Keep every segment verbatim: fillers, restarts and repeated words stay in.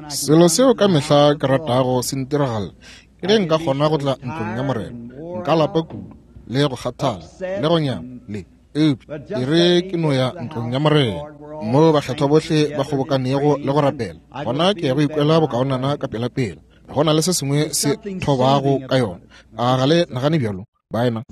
Selo seo ka mehla ke ratago se ntiragala ke ge nka kgona go tla ntlong ya Morena. Nka lapa kudu le go kgathala le go nyama le eupša e re ke no ya ntlong ya Morena mo bakgethwa bohle ba kgobokanego le go rapela, gona ke ya go ikwela bokaonana ka pelapela. Go na le se sengwe se thobago ka yona. A ga le nagane bjalo, baena?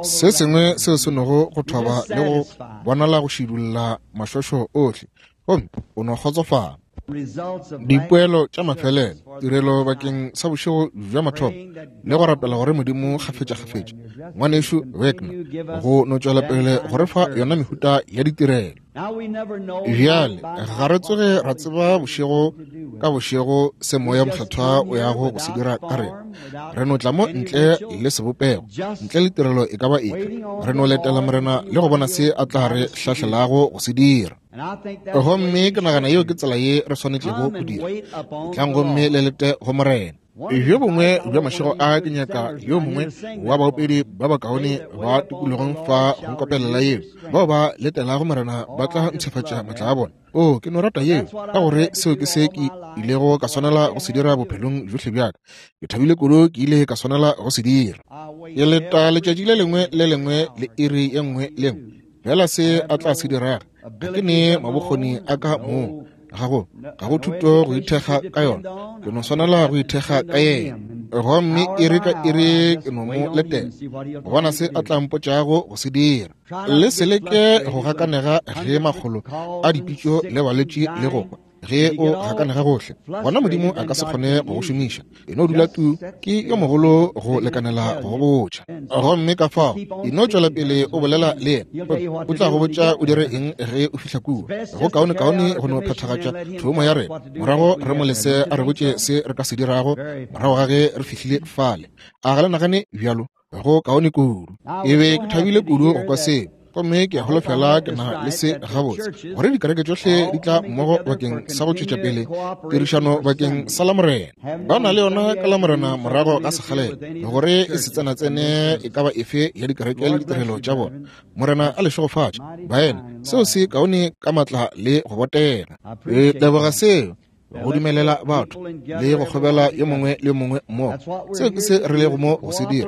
Se sengwe seo se nogo go thoba le go bonala go šidulla mašošo ohle, gomme o no kgotsofala. Dipoelo tša mafelelo, tirelo bakeng sa bošego bja mathomo le go rapela gore Modimo kgafetša-kgafetša, ngwanešu Wagner, go no tšwela pele go re fa yona mehuta ya ditirelo. Bjale ga re tsoge ra tseba bošego ka bošego se Moya Mokgethwa o yago go se dira ka rena. Re no tla mo ntle le sebopego, ntle le tirelo e ka ba efe. Re no letela Morena le go bona se a tla re hlahlelago go se dira. Gomme ke nagana yeo ke tsela ye re swanetšego go dira. Tlang gomme le lete go Morena. Bjo bongwe bja mašego a ke nyaka yo mongwe wa baopedi ba bakaone ba tikologong fa go nkopelela yeo. Bao ba letelago Morena ba tla ntšhafatša matla a bona. O, ke no rata yeo, ka gore seo ke se ke ilego ka swanela go se dira bophelong bjohle bja ka. Ke thabile kudu ke ile ka swanela go se dira. Ke leta letšatši le lengwe le lengwe le iri ye nngwe le nngwe. Fela se a tla se diraga, ga ke ne mabokgoni a ka moo. Ga go ga go thuto go ithekga ka yona, ke no swanela go ithekga ka yena. Gomme iri ka iri ke no mo letela go bona se a tla mpotšago go se dira. Le se leke go gakanega ge makgolo a dipitšo le balwetši le go kwa. Ge o gakanega gohle, gona Modimo a ka se kgone go go šomiša. E no dula tu, ke yo mogolo go lekanela go go botša. Gomme ka fao e no tšwela pele o bolela le yena, o tla go botša o dire eng ge o fihla kua. Go kaone-kaone go no phethagatša thomo ya rena, morago re mo lese a re botše se re ka se dirago morago ga ge re fihlile fale. A ga le nagane bjalo? Go kaone kudu. E be ke thabile kudu go kwa seo. Gomme ke a holofela ke na le se gabotse, gore dikereke tšohle di tla mmogo bakeng sa go tšwetša pele tirišano bakeng sa Lamorena. Ba na le yona ka Lamorena morago ga sekgalela, gore e se tsenatsene e ka ba efe ya dikereke le ditirelo tša bona. Morena a le šegofatše, baena. Seo se kaone ka matla le go botega. Re leboga seo, go dumelela batho le go kgobela yo mongwe le mongwe mmogo. Seo ke se re lego mo go se dira,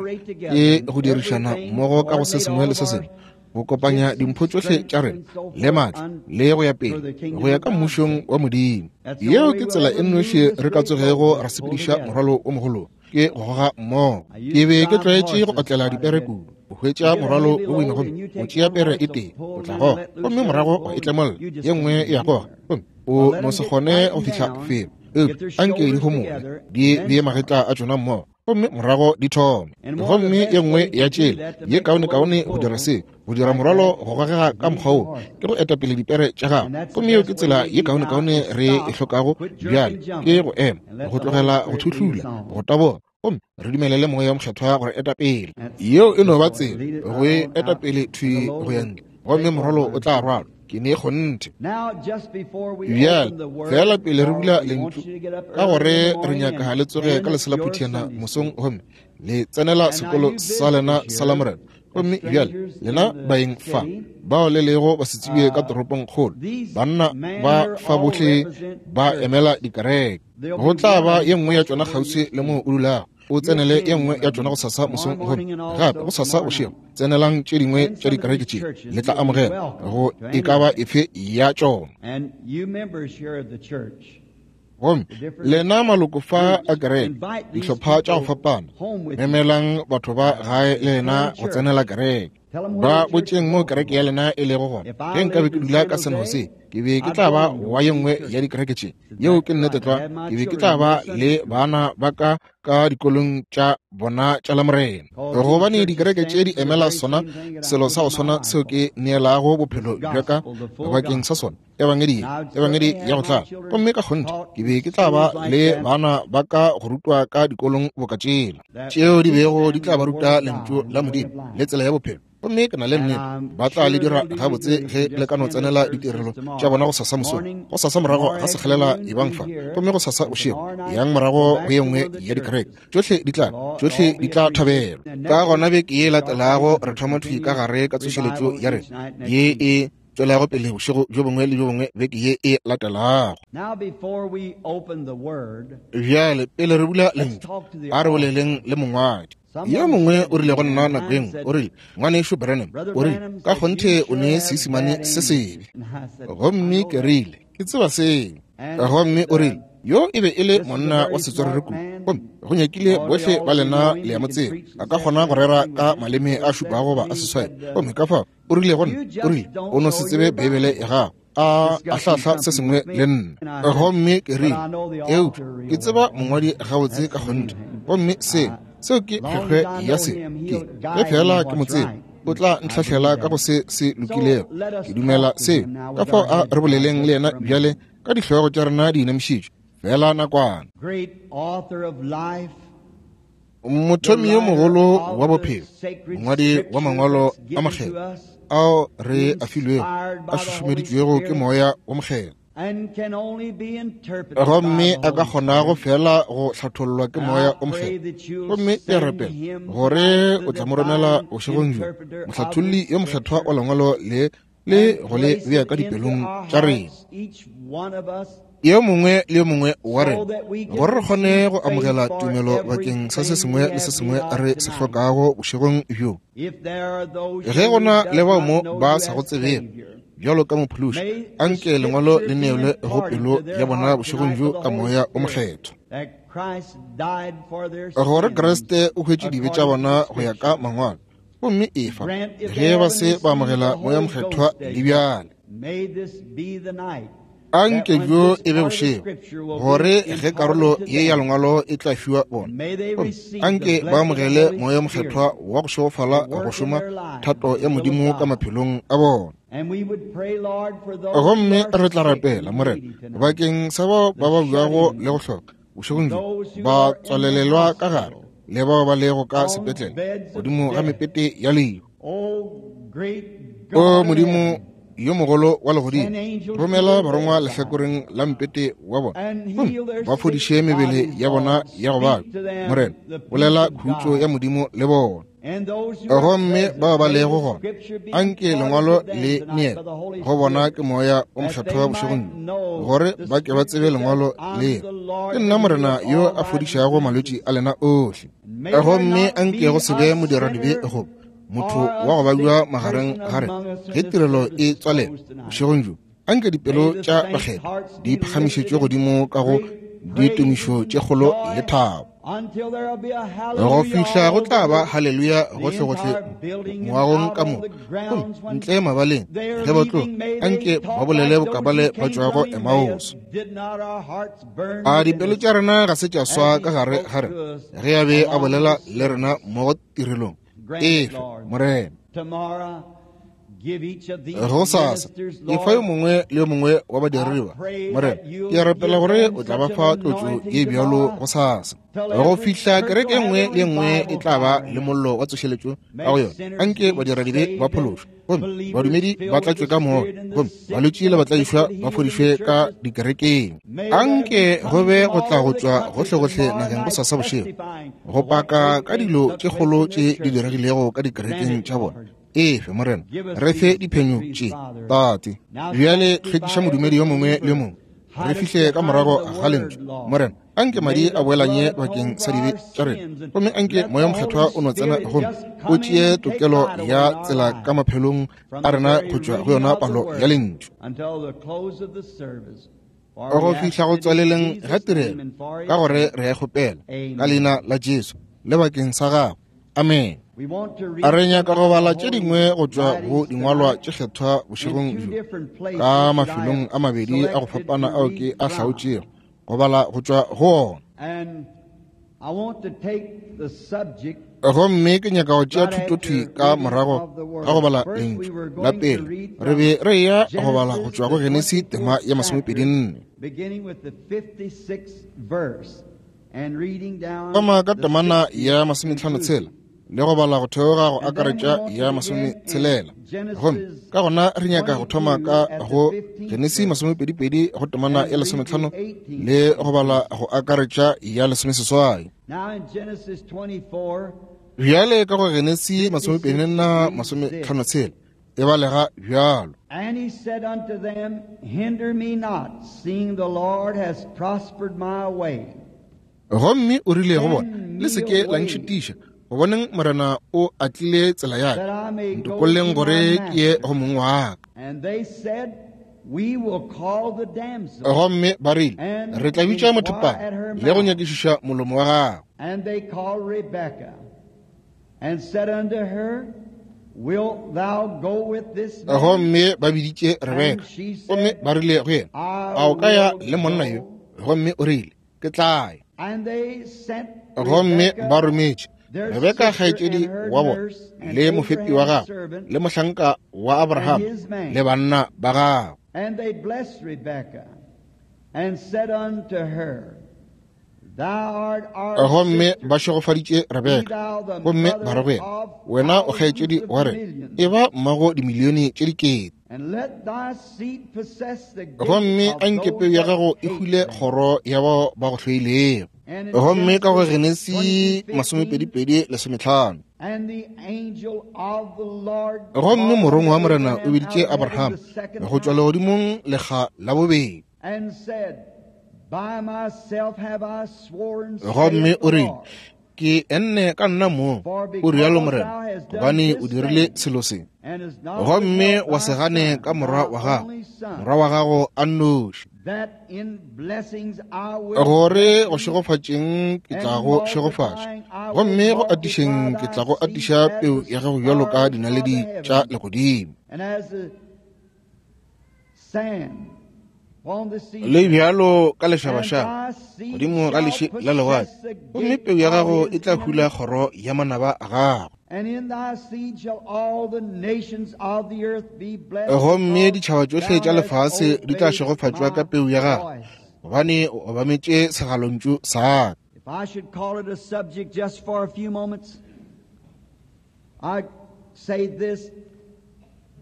ke go dirišana mmogo ka go se sengwe le se sengwe, go kopanya dimpho tšohle tša rena le matla le go ya pele go ya ka mmušong wa Modimo. Yeo ke tsela e nnoši re ka tsogego ra sepediša morwalo o mogolo, ke go goga mmogo. Ke be ke tlwaetše go otlela dipere kudu, o hwetša morwalo o boima gomme o tšea pere e tee, o tla goga, gomme morago wa e tlemolla, ye nngwe e ya goga, gomme o no se kgone go fihla felo. Eupša anke di homole, di bee magetla a tšona mmogo, gomme morago di thome. Gomme ye nngwe ya tšela ye kaone-kaone go dira se, go dira morwalo go gogega ka mokgwa wo, ke go etapele dipere tša gago. Gomme yeo ke tsela ye kaone-kaone re e hlokago bjale, ke go ema, go tlogela go thuhlula, go taboga, gomme re dumelele Moya Mokgethwa gore eta pele. Yeo e no ba tsela go e eta pele thwi go ya ntle, gomme morwalo o tla rwalwa. Ke ne kgonthe. Bjale fela pele re bula lentšu, ka gore re nyaka le tsoge ka leselaphutiana mosong gomme le tsenela sekolo sa lena sa Lamorena. Gomme bjale lena baeng fa bao le lego basetsebje ka toropong kgolo, banna ba fa bohle ba emela dikereke. Go tla ba ye nngwe ya tšona kgauswi le moo o dulago. O tsenele ye nngwe ya tšona gosasa mosong gomme gape gosasa bošego tsenelang tše dingwe tša dikereke tše, le tla amogela go e ka ba efe ya tšona. Gomme lena maloko fa a kereke, dihlopha tša go fapana, memelang batho ba gae le lena go tsenela kereke. Ba botšeng mo kereke ya lena e lego gona. Ge nkabe ke dula ka San Jose, ke be ke tla ba wa ye nngwe ya dikereke tše. Yeo ke nnete tlwa. Ke be ke tla ba le bana ba ka ka dikolong tša bona tša Lamorena, gobane dikereke tše di emela sona selo sa go swana seo ke neelago bophelo bja ka bakeng sa sona, ebangedi, ebangedi ya go tlala. Gomme ka kgonthe ke be ke tla ba le bana ba ka go rutwa ka dikolong boka tšela tšeo di bego di tla ba ruta lentšu la Modimo le tsela ya bophelo. Gomme ke na le nnete ba tla le dira gabotse ge le ka no tsenela ditirelo tša bona gosasa mosong, gosasa morago ga sekgalela ebang fa, gomme gosasa bošego yang morago go ye nngwe ya dikereke. Tšohle di tla, tšohle di tla thabelwa. Ka gona beke ye latelago re thoma thwi ka gare ka tsošeletšo ya rena ye e tswelago pele bošego bjo bongwe le bjo bongwe beke ye e latelago. Bjale pele re bula lentšu, a re boleleng le mongwadi. Yo mongwe o rile go nna nako e nngwe, o rile, Ngwanešu Branham, o rile, ka kgonthe o ne Seisemane se sebe. Gomme ke rile, ke tseba seo. Gomme o rile, yo e be e le monna wa setswerere kudu, gomme go nyakile bohle ba lena le ya mo tseba, a ka kgona go rera ka maleme a šupago goba a seswai. Gomme ka fao o rile go nna, o rile, o no se tsebe Beibele ya gago, a ahlahla se sengwe le nna. Gomme ke rile, eupša ke tseba mongwadi gabotse ka kgonthe, gomme se seo ke kgwekgwe ya se ke ge fela ke mo tseba, o tla ntlhahlela ka go se se lokilego. Ke dumela seo. Ka fao a re boleleng le yena bjale ka dihlogo tša rena di inamišitšwe fela nakwana. Mothomi yo mogolo wa bophelo, mongwadi wa mangwalo a makgethwa ao re a filwego, a šušumeditšwego ke moya wa mokgethwa, gomme a ka kgonago fela go hlathollwa ke moya o mokgethwa. Gomme ke a rapela gore o tla mo romela bošegong bjo, mohlatholli yo mokgethwa wa lengwalo le le go le bea ka dipelong tša rena, yo mongwe le yo mongwe wa rena, gore re kgone go amogela tumelo bakeng sa se sengwe le se sengwe re se hlokago bošegong bjo. Ge gona le bao mo ba sa go tsebego bjalo ka mophološi, anke lengwalo le neelwe go pelo ya bona bošegong bjo ka moya o mokgethwa, gore Kriste o hwetše dibe tša bona go ya ka mangwalo, gomme efa ge ba se ba amogela moya mokgethwa le bjale. Anke bjo e be bošego, gore ge karolo ye ya lengwalo e tla fiwa bona, anke ba amogele moya mokgethwa wa go šegofala go šoma thato ya Modimo ka maphelong a bona. Gomme re tla rapela, Morena, bakeng sa bao ba babjago le go hloka bošegong bjo, ba tswalelelwa ka gare, le bao ba lego ka sepetlele godimo ga mepete ya lehu. O Modimo yo mogolo wa legodimo, romela barongwa lehlakoreng la mpete wa bona, gomme ba fodiše mebele ya bona ya go babja. Morena, bolela khutšo ya Modimo le bona. Gomme bao ba lego gona, anke lengwalo le neele go bona ke moya o mokgethwa bošegong bjo, gore ba ke ba tsebe lengwalo le. Ke nna Morena yo a fodišago malwetši a lena ohle. Gomme anke go se be modiradibe goba motho wa go babja magareng ga rena ge tirelo e tswalela bošegong bjo. Anke dipelo tša bakgethwa di phagamišetšwe godimo ka go ditumišo tše kgolo le thabo, go fihla go tla ba haleluya gohlegohle moagong ka moka, gomme ntle mabaleng ge ba tloga, anke ba bolele bokabale ba tšwago Emmaus. A dipelo tša rena ga se tša swa ka gare ga rena ge a be a bolela le rena mo tirelong? Efe, Morena. Gosasa efa yo mongwe le yo mongwe wa badiredi ba, Morena, ke a rapela gore o tla ba fa tlotšo ye bjalo gosasa, go fihla kereke e nngwe le e nngwe e tla ba le mollo wa tsošeletšo ka go yona. Anke badiradibe ba phološwe, gomme badumedi ba tlatšwe ka moya, gomme balwetši le batlaišwa ba fodišwe ka dikerekeng. Anke go be go tla go tšwa gohlegohle nageng gosasa bošego, go paka ka dilo tše kgolo tše di diregilego ka dikerekeng tša bona. Efe, Morena, re fe diphenyo tše, Tate. Bjale hlwekiša modumedi yo mongwe le yo mongwe, re fihle ka morago ga lentšu. Morena, anke madi a boelanye bakeng sa dibe tša rena, gomme anke moya mokgethwa o no tsena gomme o tšee tokelo ya tsela ka maphelong a rena go tšwa go yona palo ya lentšu, go fihla go tswaleleng ga tirelo, ka gore re a kgopela ka leina la Jesu le bakeng sa gagwe. Amen. A re nyaka go bala tše dingwe go tšwa go dingwalwa tše kgethwa bošegong bjo, ka mafelong a mabedi a go fapana ao ke a hlaotšego go bala go tšwa go ona. Gomme ke nyaka go tšea thutothwi ka morago ga go bala lentšu la pele. Re be re eya go bala go tšwa go Genesi tema ya masomepedi nne, thoma ka temana ya masometlhano tshela le go bala go theoga go akaretša ya masometshelela. Gomme ka gona re nyaka go thoma ka go Genesi masomepedipedi go temana ya lesometlhano le go bala go akaretša ya lesomeseswai. Bjale ka go Genesi masomepedi nna masometlhano tshela e balega bjalo. And he said unto them, Hinder me not, seeing the Lord has prospered my way. Gomme o rile go bona, le se ke la ntšhitiša, go boneng Morena o atlile tsela ya ka, ntokolleng gore ke ye go mong wa ka. And they said, We will call the damsel. Gomme ba rile, re tla bitša mothopana le go nyakišiša molomo wa gagwe. And they called Rebekah and said unto her, Wilt thou go with this man? Gomme ba biditše Rebeka, gomme ba rile go yena, a o ka ya le monna yo? Gomme o rile, ke tla ya. And they sent Gomme Rebekah, ba rometše their Rebeka sister kgaetšedi and her wa bona nurse and le mofepi wa Abraham's gagwe servant, le mohlanka wa Abraham and his man. le banna ba gagwe. And they blessed Rebekah and said unto her, Thou art our Gomme sister, ba šegofaditše be Rebeka, thou the gomme ba re mother go yena, of wena o thousands kgaetšedi of wa rena, millions, e ba mmago dimilione tše dikete. and let thy seed possess the gate Gomme of a nke those peu ya that gago e hate hule them. kgoro ya bao ba go hloilego. And in Gomme ka go Genesis Genesi twenty-two fifteen, masomepedipedi lesometlhano. and the angel of the Lord Gomme called morongwa wa unto Morena o Abraham out biditše of heaven Abraham the second go tšwa time legodimong lekga la bobedi. and said, By myself have I sworn, Gomme saith o the rile, Lord, ke enne ka nna mong, for o rialo because Morena, thou hast done gobane o this dirile thing, selo se. and hast not Gomme withheld wa thy se gane son, ka morwa thy wa gago, only son, morwa wa gago a nnoši, that in blessings I will gore bless go thee, šegofatšeng ke and tla in go šegofatša, multiplying I will gomme go multiply atišeng ke thy tla go seed atiša as peu the ya gago bjalo ka stars of the dinaledi tša heaven, legodimo, and as the sand upon the le seashore. bjalo ka And lešabašaba thy seed godimo ga shall leši la lewatle, possess the gomme gate peu ya of gago e his tla hula enemies. kgoro ya manaba a gago. And in thy seed shall all the nations of the earth be blessed, Gomme because ditšhaba tšohle thou tša hast lefase di tla obeyed šegofatšwa ka my peu ya gago, voice. gobane o obametše segalontšu sa ka. If I should call it a subject just for a few moments, I'd say this: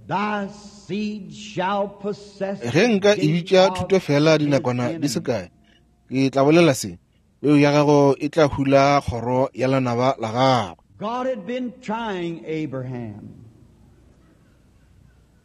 Thy seed shall possess Ge the nka e gate bitša of thuto fela his dinakwana di se enemies. kae, ke tla bolela se, peu ya gago e tla hula kgoro ya lenaba la gagwe. God had been trying Abraham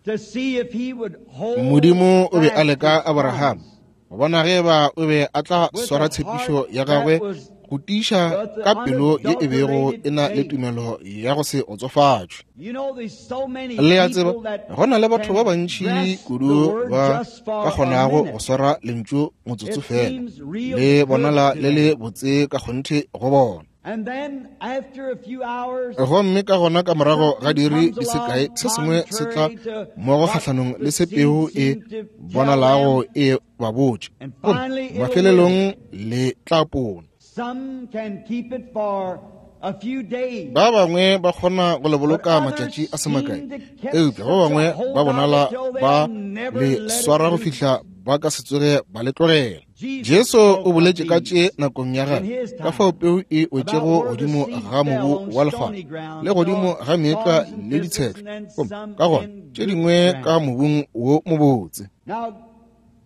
to see if he would hold Modimo o be a fast leka his Abraham promise go bona ge eba o be a tla with swara a tshepišo heart ya that gagwe was go tiiša with the ka pelo ye e bego e unadulterated na le faith. tumelo ya go se otsofatšwe. You know, there's so many Le a tseba, people that go na le batho ba can bantši grasp the kudu word ba just ka for a kgonago go minute. swara lentšu motsotso It fela, seems real le good bonala to le le them. botse ka kgonthe go bona. And then after a few hours, Gomme ka gona ka morago ga something diiri comes di se kae, along se sengwe se tla contrary to mmogo what kgahlanong the le se seed peu e seemed to tell bonalago them, e ba botše, and gomme finally it'll wither. mafelelong le tla pona. Some can keep it for a few days, Ba bangwe ba kgona go le but boloka others matšatši a se makae, seem to catch eupša ba such a bangwe ba hold of bonala it till ba they'll never le let it swara go loose. fihla ba ka se tsoge ba le tlogela. Jesus Jesu o spoke of boletše ka tše these nakong ya in gagwe, his ka fao time peu e about wetšego where the godimo seed ga fell mobu on wa stony lekgwara ground, le godimo thorns, ga meetlwa thorns and le thistles, ditshetlho, and then gomme some ka gona in tše good dingwe ka ground. mobung wo mobotse. Now,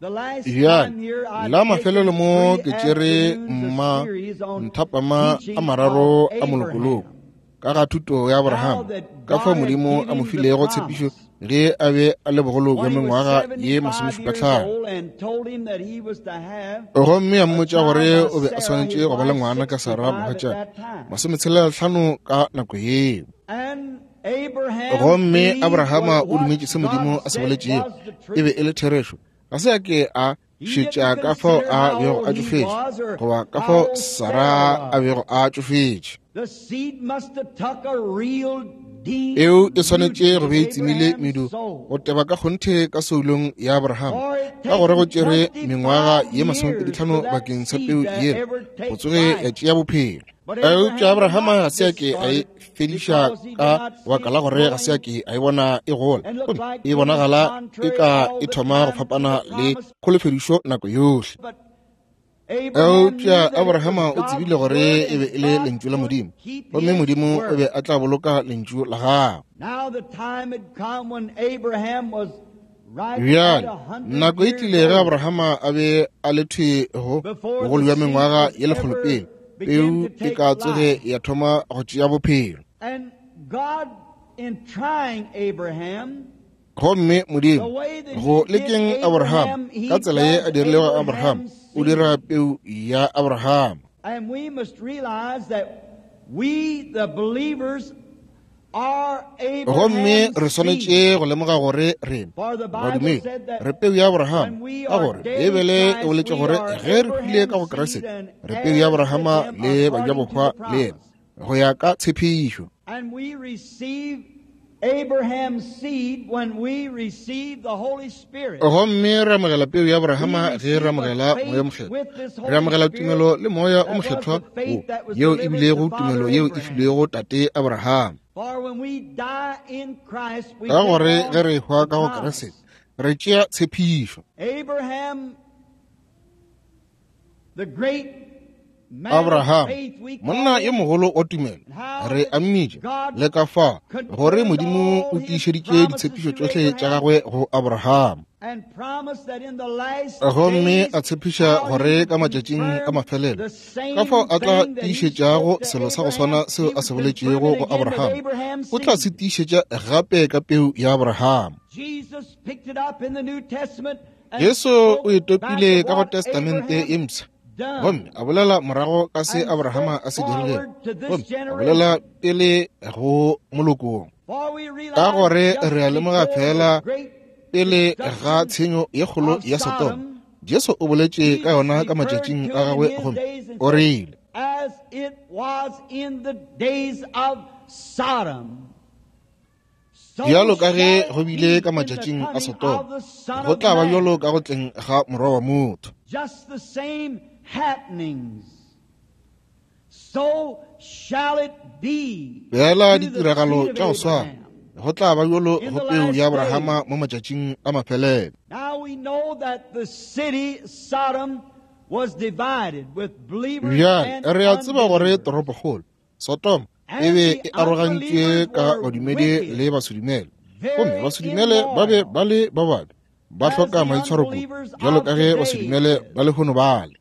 the last Bjale time here, I'd la taken mafelelo mo three ke tšere afternoons a mma series on nthapama a teaching of mararo a molokoloko Abraham, ka ga thuto ya how Abraham, that ka fao God had Modimo given a mo him the filego tshepišo promise ge a be a le bogolo bja when he was mengwaga ye seventy-five years masomešupatlhano. old and told him that he was to have Gomme a a mmotša child gore by o be a Sarah, swanetše his go ba le wife, ngwana ka Sara sixty-five at mogatšana that time. masometshelatlhano ka nako yeo. And Abraham Gomme believed Abrahama what, o what dumetše se Modimo God a se said boletšego was the e be truth. e le therešo. Ga se a ke a He šetša didn't ka fao consider a how bego old a he tšofetše was or goba ka how fao old Sara Sarah a was. bego a tšofetše. The seed must have took a real deep Eo e root swanetše go into be e tsemile Abraham's medu soul. go teba ka kgonthe ka soulong ya Abraham, For it ka gore go taken tšere mengwaga ye twenty-five years masomepeditlhano for that bakeng sa seed peu to yela ever go take tsoge ya life. tšea bophelo. But Eupša Abraham did Abrahama not ga se a ke a discard e it fediša because he did ka not see baka la it gore ga se a growing ke a e bona e gola, and looked gomme like e it was bonagala e contrary ka all e the thoma go time to fapana the le promise. kholofedišo nako yohle. But Eupša Abrahama o tsebile gore e be e le lentšu la Modimo, gomme Modimo o be a tla boloka lentšu la gagwe. Bjale nako e tlile ge Abrahama a be a le thwe go bogolo bja mengwaga ye lekgolo pele peu e ka tsoge ya thoma go tšea bophelo. Gomme Modimo go lekeng Abraham ka tsela ye a dirilego Abraham, o dira peu ya Abraham. Gomme re swanetše go lemoga gore rena badumedi re peu ya Abraham, ka gore Beibele e boletše gore ge re hwile ka go Kriste re peu ya Abrahama le bajabohwa le yena go ya ka tshepišo. Gomme re amogela peu ya Abrahama ge re amogela Moya Mokgethwa. Re amogela tumelo le Moya o Mokgethwa wo, yeo e bilego tumelo yeo e filwego tate Abraham. Ka gore ge re hwa ka go Kriste re tšea tshepišo. Abraham, monna yo mogolo wa tumelo, re a mmitša le ka fa gore Modimo o tiišeditše ditshepišo tšohle tša gagwe go Abraham, gomme a tshepiša gore ka matšatšing a mafelelo ka fao a tla tiišetšago selo sa go swana seo a se boletšego go Abraham, o tla se tiišetša gape ka peu ya Abraham. Jesu o e topile ka go Testamente e mpsha, gomme a bolela morago ka se Abrahama a se dirilego, gomme a bolela pele go molokong. Ka gore re a lemoga fela pele ga tshenyo ye kgolo ya Sodoma, Jesu o boletše ka yona ka matšatšing a gagwe, gomme o rile, bjalo ka ge go bile ka matšatšing a Sodoma, go tla ba bjalo ka go tleng ga Morwa wa motho. Bjala ditiragalo tša go swana, go tla ba bjalo go peu ya Abrahama mo matšatšing a mafelelo. Bjale re a tseba gore toropokgolo Sodoma e be e arogantšwe ka badumedi le basedumele, gomme basedumele ba be ba le ba babe, ba hloka maitshwaro kudu, bjalo ka ge basedumele ba lehono bale.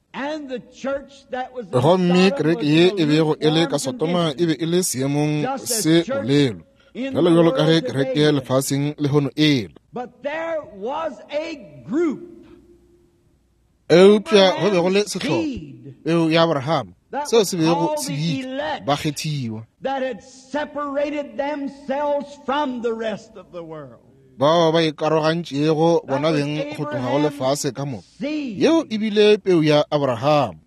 Gomme kereke ye e bego e le ka Sodoma e be e le seemong se bolelo, bjalo bjalo ka ge kereke lefaseng lehono e le. Eupša go be go le sehlopha, peu ya Abraham, seo se bego se bitšwa bakgethiwa, bao ba ikarogantšego bona beng go tloga go lefase ka moka. Yeo e bile peu ya Abraham.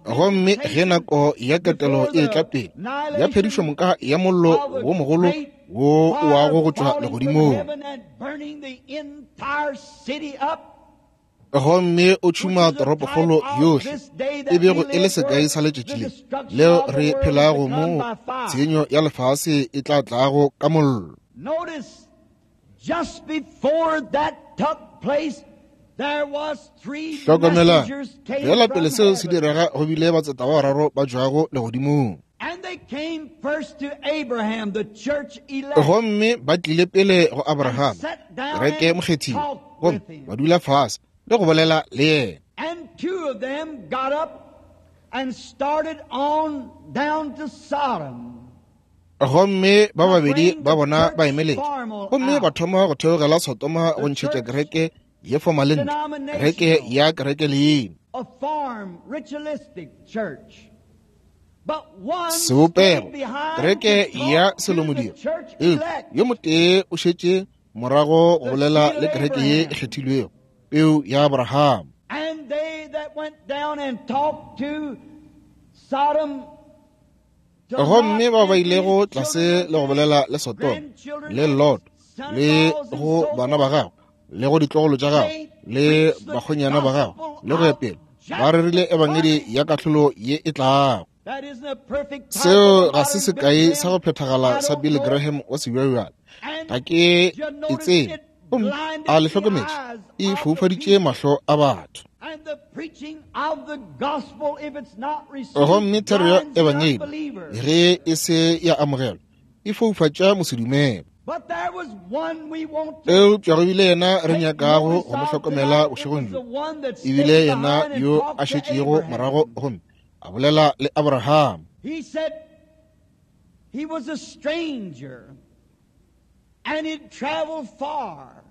Gomme ge nako ya ketelo e tla pele ya phedišomoka ya mollo wo mogolo wo o wago go tšwa legodimong, gomme o tšhuma toropokgolo yohle, e bego e le sekai sa letšatši le leo re phelago mo tshenyo ya lefase e tla tlago ka mollo. Hlokomela, fela pele seo se direga go bile batseta ba bararo ba tšwago legodimong. Gomme ba tlile pele go Abraham, kereke mokgethiwa, gomme ba dula fase le go bolela le yena. Gomme ba babedi ba bona ba emeletše, gomme ba thoma go theogela Sodoma go ntšhetša kereke ye formalente, kereke ya kereke leina, sebopego, kereke ya selomodiro. Eupša yo motee o šetše morago go bolela le kereke ye e kgethilwego, peu ya Abraham. Gomme bao ba ilego tlase le go bolela le Sodoma le Lot le go bana ba gagwe le go ditlogolo tša gagwe le bakgonyana ba gagwe le go ya pele, ba rerile ebangedi ya kahlolo ye e tlago. Seo ga se sekai sa go phethagala sa Billy Graham wa sebjalebjale. Ga ke e tsebe, gomme a le hlokometše, e foufaditše mahlo a batho. Gomme thero ya ebangedi ge e se ya amogelwa e foufatša mosedumele. Eupša go bile yena re nyakago go mo hlokomela bošegong bjo, e bile yena yo a šetšego morago gomme a bolela le Abraham. He said he was a stranger and he'd traveled far.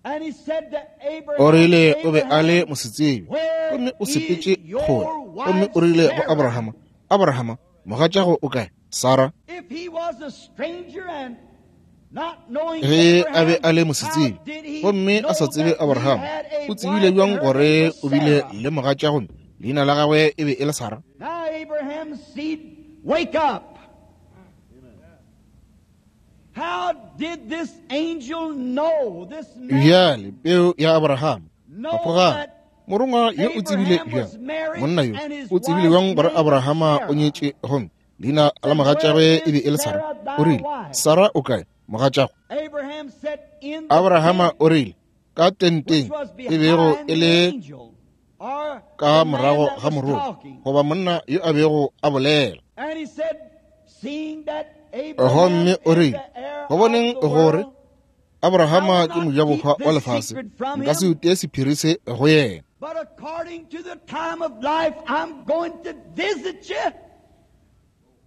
And he said to Abraham, O rile o be a le mosetsebje gomme o sepetše kgole, gomme o rile go Abrahama, Abrahama, mogatšago o kae? Sarah. If he was a stranger and not knowing Ge a be Abraham, a le how mosetsebje did he gomme a know sa tsebe that he Abraham, had a o tsebile wife bjang and her gore name was o bile Sarah? le mogatša gomme leina la gagwe e be e le Sarah? Now Abraham's seed, wake up. How did this angel know, this man Bjale peu ya Abraham, know phafogang. that Morongwa yo o tsebile Abraham bjang? was married Monna yo and his o tsebile wife's bjang gore name was Abrahama o Sarah? nyetše gomme leina la Said, mogatšagwe where e be e le is Sarah? Sarah O thy rile, wife? Sarah o kae? Mogatšago. Abraham said, in the Abrahama tent o rile, ka which tenteng was e bego behind e the le angel, or ka the man morago that ga was morongwa talking. goba monna yo a bego a bolela. And he said, seeing that Abraham Gomme o is rile, the heir go of boneng the gore world, I will Abrahama ke not keep mojabohwa wa this lefase, secret from nka se him, utee sephiri se go yena. but according to the time of life, I'm going to visit you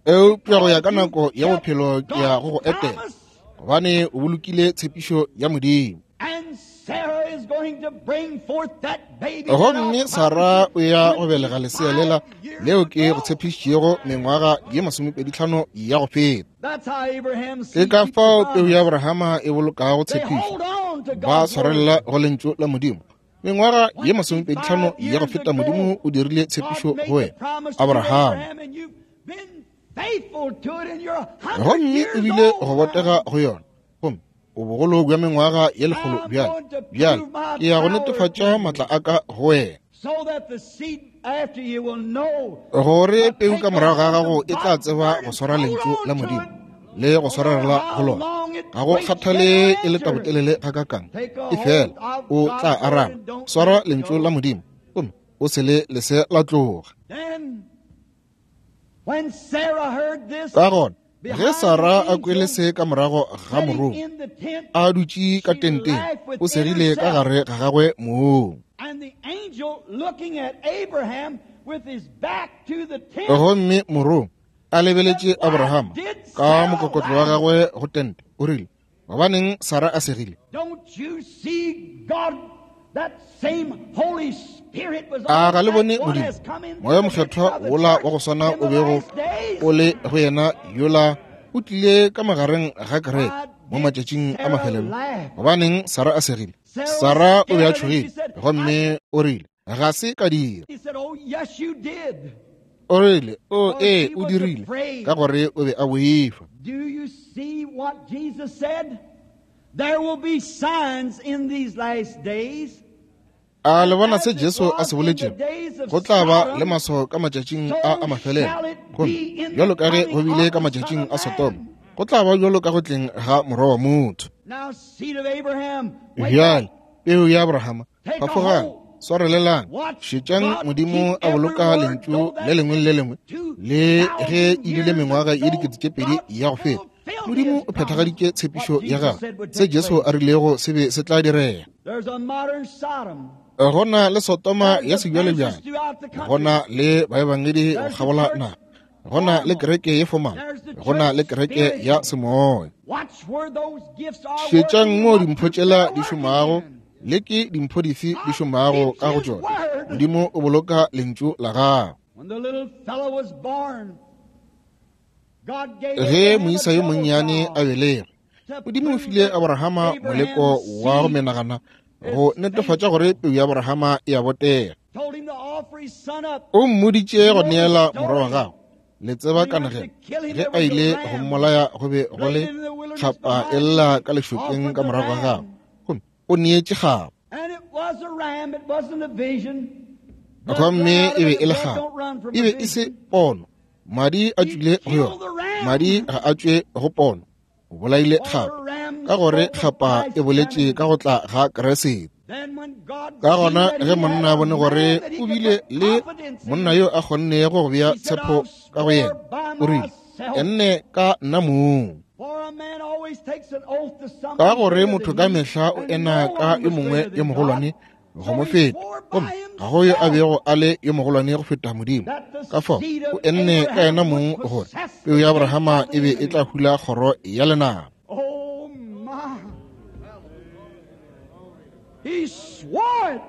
Eupša go ya because ka you nako ya kept bophelo ke ya God's go go etela, promise. gobane o bolokile tshepišo ya Modimo. And Sarah is going to bring forth that baby that I Gomme promised Sarah you o ya go belega lesea lela twenty-five years leo ke go ago. tshepišitšego mengwaga ye masomepeditlhano ya go feta. That's how Abraham's Ke seed ka keeps the fao peu ya promise. Abrahama e bolokago They tshepišo, hold on to ba God's word. swarelela go lentšu la Modimo. Mengwaga ye masomepeditlhano Twenty-five ya go years feta Modimo ago, o dirile God tshepišo made go the wena, promise to Abraham. Abraham, and you've been faithful to it, and you're a hundred Gomme o years bile go old botega now. go yona, gomme o bogolo bja mengwaga ye lekgolo I'm bjale. going to Bjale prove my ke ya go power to netefatša you maatla a ka go wena, so that the seed after you will know gore to peu take ka a morago ga hold gago of e tla God's tseba word go and swara hold lentšu la on to Modimo it. le go No matter swarela go how lona. long it Ga go waits, kgathale they'll e le answer. tabotelele gakakang, Take a e fela hold of o tla God's word araba. and don't Swara let it lentšu la go. Modimo gomme o se le lese la tloga. Then, when Sarah heard this Ka gona ge behind the Sara a kwele angel se ka morago ga sitting morongwa in the tent, a dutše ka she tenteng, laughed o within segile ka herself. gare ga gagwe mong. And the angel looking at Abraham with his back to the tent Gomme morongwa a said, lebeletše Why Abrahama did ka Sarah mokokotlo wa laugh? gagwe go tente, o rile, gobaneng Sara a segile? Don't you see God, that same Holy Spirit was A on ga le that bone one Modimo has come into moya the midst mokgethwa of the wola church wa go swana in o the bego last days? o le go yena yola o tlile ka magareng ga kereke Why mo did matšatšing a Sarah mafelelo? laugh? Gobaneng Sara a segile? Sarah was Sara o be a scared and she tšhogile said, I gomme o rile, ga se ka dira. he said, Oh yes you did. O rile, o For ee she o was dirile, afraid. ka gore o be a boifa. Do you see what Jesus said? There will be signs in these last days. A And le bona as se it Jesu a was se in the boletšego? days of Go tla ba le Sodom, maswao ka matšatšing a a so mafelelo. shall it Gomme be in the bjalo ka ge go coming bile of ka the Son matšatšing of a Sodoma, Man. go tla ba bjalo ka go tleng ga morwa wa motho. Now, seed of Abraham, wake Bjale up. peu ya Abrahama, Take a phafogang, hold. swarelelang, Watch šetšang God Modimo keep a every boloka word, lentšu though le that's lengwe le been le lengwe two le ge thousand e bile years mengwaga ye ago. dikete tše pedi God ya go feta. fulfilled Modimo his o promise. phethagaditše What tshepišo ya Jesus gagwe. said would Se take Jesu place. a rilego se be se tla direga. There's a modern Sodom. Go na le Sodoma There's ya sebjalebjale, evangelists throughout the go country. na le baebangedi go There's the kgabola church naga, go na le formal. kereke ye fomala, There's the go na church le kereke ya spiritual. semoya. Watch where those gifts are Šetšang working mo and what dimpho groups tšela they're di working šomago in. le ke dimpho dife di God šomago keeps ka go his tšona. word. Modimo o boloka lentšu la gagwe. When the little fellow was born, God gave Ge Abraham a moisa yo double monnyane a trial belegwe, to Modimo o prove file that Abrahama moleko Abraham's wa go seed menagana go is netefatša gore faithful. peu ya Abrahama e a botega. Told him to offer his son up. O mmoditše You go know the neela morwa wa story. gagwe. Le tseba When he went kanegelo. to kill him, Ge there a was a ile go ram mmolaya go be go laid le in the wilderness kgapa e behind lla him, ka lešokeng offered ka the morago ga gagwe. ram. Gomme o neetše kgapa. And it was a ram, it wasn't a vision. Blood run Gomme out e of be it, e le blood kgapa. don't run from E a be e se vision. pono. Madi a He tšwile go killed yona. the ram. Madi ga a tšwe go pono. O bolaile For the kgapa. ram Ka gore spoke of kgapa e Christ's boletše coming. ka go tla ga Kriste. Ka gona ge monna a bone gore o bile le monna yo a kgonnego go bea tshepo ka go yena, o rile, enne ka nna mong. Ka gore motho ka mehla o ena ka yo mongwe yo mogolwane go mo feta, gomme ga go yo a bego a le yo mogolwane go feta Modimo. Ka fao o enne ka yena mong gore peu ya Abrahama e be e tla hula kgoro ya lenaba. He swore it.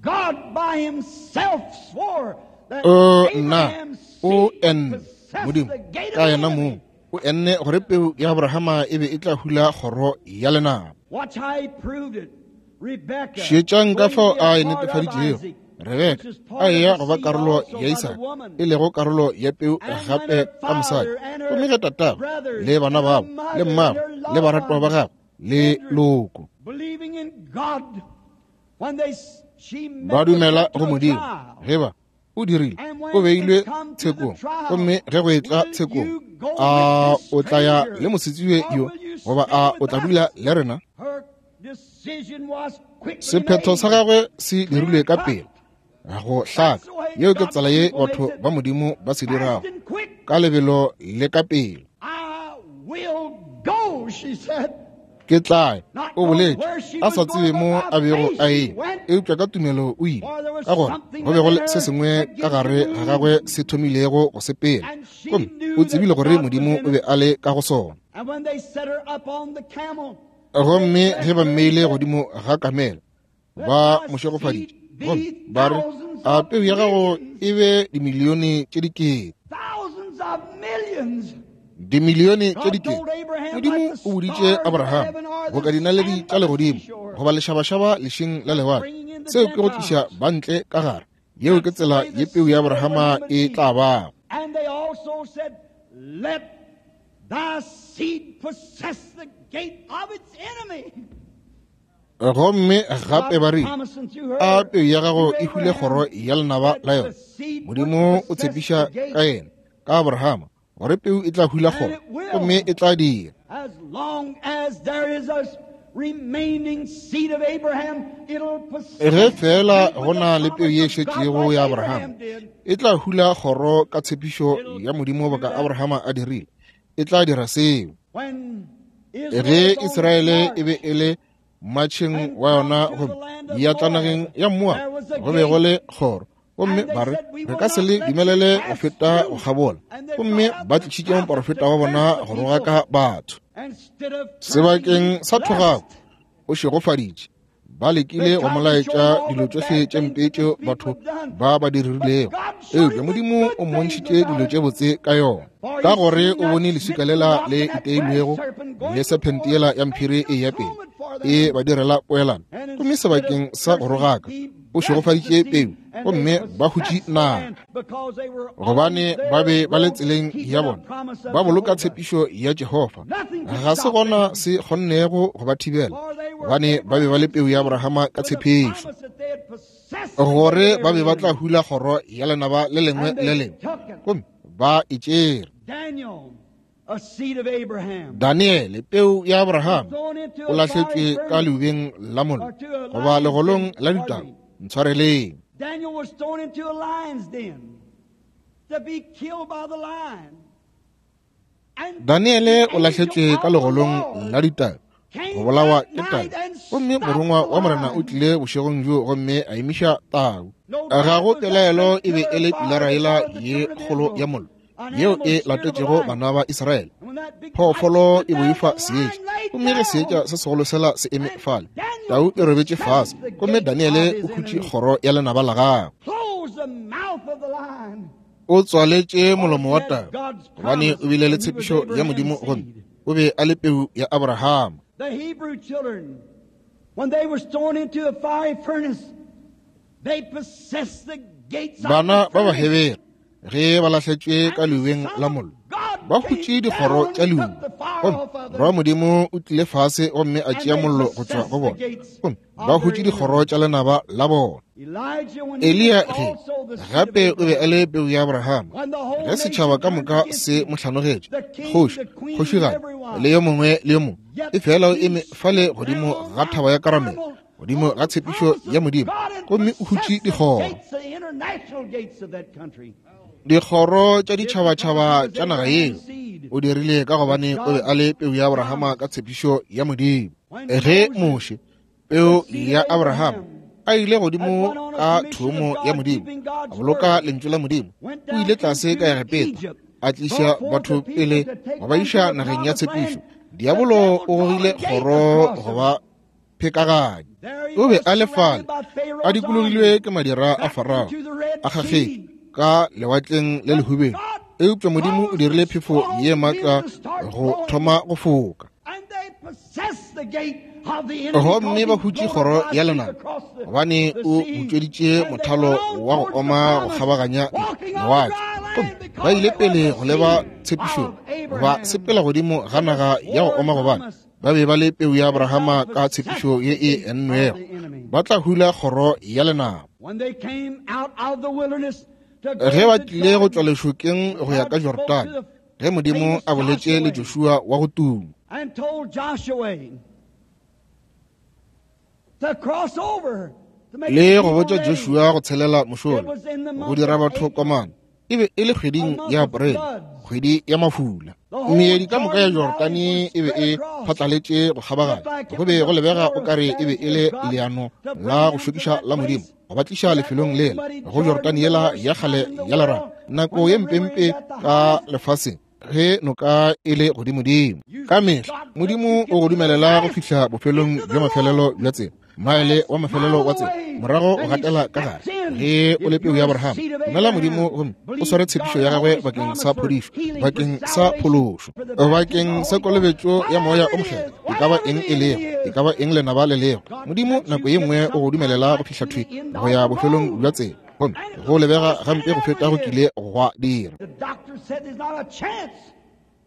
God by himself swore that O nna Abraham's o seed enne possessed Modimo the gate ka of the yena enemy. mong o enne gore peu ya Abrahama e be e tla hula kgoro ya lenaba. Watch how he proved it. Rebecca, Šetšang ka going fao to be a a e part of netefaditšego. Isaac, Rebeka which is part a of eya the go ba seed karolo also ya by the Isaka, woman. e lego karolo ya peu And when gape her ka mosadi. father and her Gomme ge tatagwe brothers le bana and her babo le mother and mmagwe her le loved baratwa ba ones gagwe le entered, loko believing in God, when they she ba met with dumela them to go a Modimo, trial. ge ba o dirile And o when beilwe it come to the tshekong, trial, gomme ge go etla will tshekong, you go a with this o tla ya stranger, le mosetsebje or yo will you goba stay a o with tla dula us? le rena? Her decision was quickly Sephetho sa made, gagwe se dirilwe clear ka cut. pele go That's hlaka. the way Yeo ke God's tsela ye people batho makes it ba Modimo ba se fast dirago, and quick. ka lebelo le ka pele. I will go, she said. Ke tla ya, Not o knowing boletše where she a was sa going, tsebe but mo by a bego faith a she eya, went, eupša ka tumelo o ile. for there was Ka gore something go be go within le se her sengwe that ka began to gare ga gagwe move. se thomilego go sepela, And she gomme knew o that tsebile gore God was Modimo in o be it. a le ka go sona. And when they set her up on the camel, they Gomme ge blessed ba her and mmeile said, godimo ga kamela, Let ba thy mo šegofaditše seed gomme be ba re, thousands a of peu ya gago millions, e be dimilione tše dikete, thousands of millions. dimilione tše God dikete. told Abraham, like Modimo the o boditše stars of Abraham heaven or boka the dinaledi sand tša by the legodimo seashore, goba lešabašaba lešing la that's lewatle. bringing in the Seo ke go tliša Gentiles. bantle ka gare. Yeo ke That's the tsela way ye the peu ya seed of Abrahama Abraham would e be. tla bago. And they also said, Let thy seed possess the gate of its enemy. Gomme gape God ba rile, promising through a her, peu ya gago through e hule kgoro Abraham, ya lenaba that la the yona. seed would Modimo o possess the tshepiša gate. ka yena, ka Abrahama, gore peu e tla hula And kgoro, it will, gomme e tla dira. as long as there is a remaining seed of Abraham, it'll Ge possess the fela gate go with the na le peu promise ye of God šetšego like ya Abraham Abrahama, did. e tla hula kgoro ka tshepišo It'll ya Modimo do boka that. Abrahama a dirile. E tla dira seo. When Israel Ge was on its Israele e be march e le mmatšheng and wa come yona to the gomme land of ya tla Moab, nageng ya Moaba, there was a go be go gate. le kgoro. Gomme And they ba re, said, We re will ka se not le let you dumelele go pass feta go through. kgabola. And they Gomme brought out ba the tlišitše prophet to moporofeta wa curse bona the go people. rogaka batho. Instead of cursing, Sebakeng he sa thogako blessed. o šegofaditše. Ba They lekile go mo tried to show laetša him all dilo the tšohle bad tše things mpe that these tšeo people batho had done. ba ba di But dirilego, God showed eupša him the Modimo good o things mmontšhitše dilo about it. tše botse ka yona. For Ka he gore seen o that bone leswika smitten lela rock le and that brass iteilwego serpent le going sephente before yela them ya to mphiri make e ya pele atonement for e them. ba direla poelano. And Gomme instead of sebakeng sa go cursing, rogaka he o blessed the šegofaditše seed, peu, and they gomme ba hutše possessed the naga. land because they were on Gobane ba their be ba le road tseleng ya keeping the bona, promise of ba boloka Jehovah. tshepišo ya Jehofa. Nothing could Ga se stop gona them, se kgonnego go ba thibela, for they were gobane ba be ba le Abraham's peu ya seed Abrahama ka with the tshepišo, promise that they had possessed the gate of gore their ba be ba tla enemy. hula kgoro ya lenaba le lengwe And le they lengwe, took it. gomme ba e tšere. Daniel, a seed of Abraham, Daniele, peu ya was Abrahama, thrown into o a fiery lahletšwe ka furnace leubeng la mollo or to a goba lion's legolong den. la Pardon ditau. me. Ntshwareleng. Daniel was thrown into a lion's den to be killed by the lion. And Daniele the o lahletšwe angel ka of the legolong la Lord ditau go came bolawa that ke tau. night and Gomme stopped morongwa the wa Morena o lion. tlile bošegong bjo gomme a emiša tau. No Ga doubt go was that pelaelo great e be pillar e of le fire pilara that yela followed the ye children of kgolo ya Israel, mollo an yeo animal e spirit of a latetšego lion. bana ba Israele. And when that big light Phoofolo stood e there, boifa the seetša, lion laid gomme ge seetša down. se segolo sela se eme And fale, Daniel tau e robetše fase, possessed the gomme gate of Daniele his o hutše enemy, kgoro ya lenaba la gagwe. closed the mouth of the lion. O tswaletše For molomo he wa had tau, God's gobane promise, o bile le and he was tshepišo ya Abraham's Modimo gomme seed. o be a le peu ya Abrahama. The Hebrew children, when they were thrown into a fiery furnace, they possessed the gates of the Bana ba furnace. Bahebere ge ba lahletšwe ka And the leubeng Son la of mollo, God ba came hutše dikgoro down tša and leuba. took the fire Gomme off of Morwa wa them, Modimo o tlile fase gomme a and tšea they mollo go tšwa possessed go the bona, gates gomme ba of their hutše dikgoro enemy. tša lenaba la bona. Elijah, when he was Eliya ge also the seed of gape o be a Abraham, le peu ya Abrahama. when the whole Ge setšhaba nation ka turned moka against se him, mo hlanogetše, the king, kgoši, the queen, and kgošigadi everyone, le yo mongwe le yo mongwe, yet e fela o he eme fale stood there godimo on ga Mount thaba ya Karamele, Carmel godimo ga tshepišo ya Modimo, gomme o hutše dikgoro. Dikgoro tša ditšhabatšhaba tša naga yeo o dirile ka gobane o be a le peu ya Abrahama ka tshepišo ya Modimo. Ge Moshe, peu ya Abrahama, a ile godimo ka thomo ya Modimo, a boloka lentšu la Modimo, o ile tlase ka Egepeta, a tliša batho pele go ba iša nageng ya tshepišo. Diabolo o gogile kgoro go ba phekaganya. O be a le fale, a dikologilwe ke madira a Farao, a kgakgetšwe ka lewatleng le lehubelo. Eupša Modimo o dirile phefo ye maatla go thoma go foka, gomme ba hutše kgoro ya lenaba, gobane o butšweditše mothalo wa go oma go kgabaganya lewatle. Gomme ba ile pele go leba tshepišong, ba sepela godimo ga naga ya go oma, gobane ba be ba le peu ya Abrahama ka tshepišo ye e ennwego. Ba tla hula kgoro ya lenaba. Ge ba tlile go tšwa lešokeng go ya ka Jordane, ge Modimo a boletše le Joshua wa go tuma, le go botša Joshua go tshelela mošola, go dira batho komana, e be e le kgweding ya Aprele, kgwedi ya mafula. Meedi ka moka ya Jordane e be e phatlaletše go kgabaganya. Go be go lebega o kare e be e le leano la go šokiša la Modimo go ba tliša lefelong lela, go Jordane yela ya kgale ya lerato, nako ye mpempe ka lefaseng ge noka e le godimodimo. Ka mehla Modimo o go dumelela go fihla bofelong bja mafelelo bja tsela, maele wa mafelelo wa tsela, morago o gatela ka gare. Ge o le peu ya Abrahama, dumela Modimo gomme o sware tshepišo ya gagwe bakeng sa phodišo, bakeng sa phološo, bakeng sa kolobetšo ya Moya o Mokgethwa. E ka ba eng e lego, e ka ba eng lenaba le lego, Modimo nako ye nngwe o go dumelela go fihla thwi go ya bofelong bja tsela, gomme go lebega gampe go feta go kile gwa dira.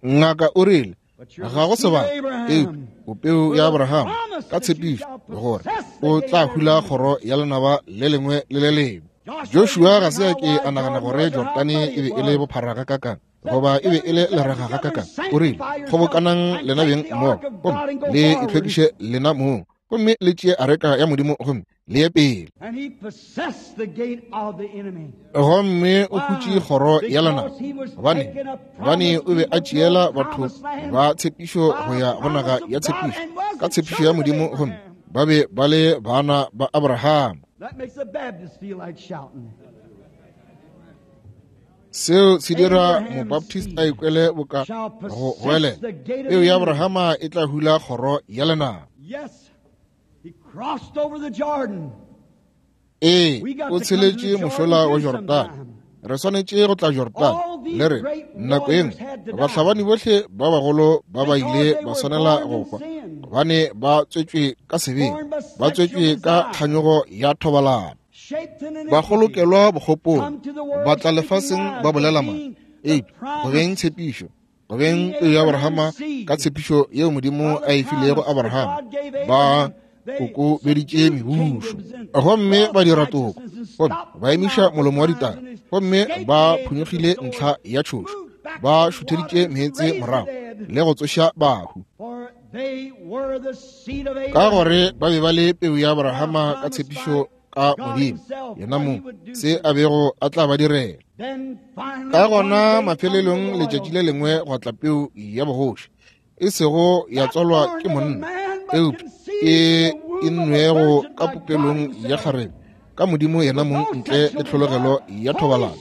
Ngaka o rile ga go sebaka, eupša o peu ya Abrahama ka tshepišo gore o tla hula kgoro ya lenaba le lengwe le le lengwe. Joshua ga se a ke a nagana gore Jordane e be e le bophara gakakang, goba e be e le leraga gakakang. O rile, kgobokanang lena beng mmogo, gomme le itlhwekiše lena mong, gomme le tšee areka ya Modimo gomme le ye pele. Gomme o hutše kgoro ya lenaba, gobane gobane o be a tšeela batho ba tshepišo go ya go naga ya tshepišo ka tshepišo ya Modimo, gomme ba be ba le bana ba Abrahama. Seo se dira Mobaptist a ikwele boka go goelela, peu ya Abrahama e tla hula kgoro ya lenaba. Ee, o tsheletše mošola wa Jordane. Re swanetše go tla Jordane le re nako ye nngwe bahlabani bohle ba bagolo ba ba ile ba swanela go hwa, gobane ba tswetšwe ka sebeng, ba tswetšwe ka kganyogo ya thobalano, ba kgolokelwa bokgopong, ba tla lefaseng ba bolela maaka. Eupša go beng tshepišo, go beng peu ya Abrahama ka tshepišo yeo Modimo a e filego Abrahama, ba kokobeditše mebušo, gomme ba dira toko, gomme ba emiša molomo wa ditaba, gomme ba phonyokgile ntlha ya tšhošo, ba šutheditše meetse morago le go tsoša bahu, ka gore ba be ba le peu ya Abrahama ka tshepišo ka Modimo yena mong, se a bego a tla ba direla. Ka gona mafelelong letšatši le lengwe gwa tla peu ya bogoši, e sego ya tswalwa ke monna, eupša e e nwego ka popelong ya kgarebe ka Modimo yena mong, ntle le tlhologelo ya thobalano,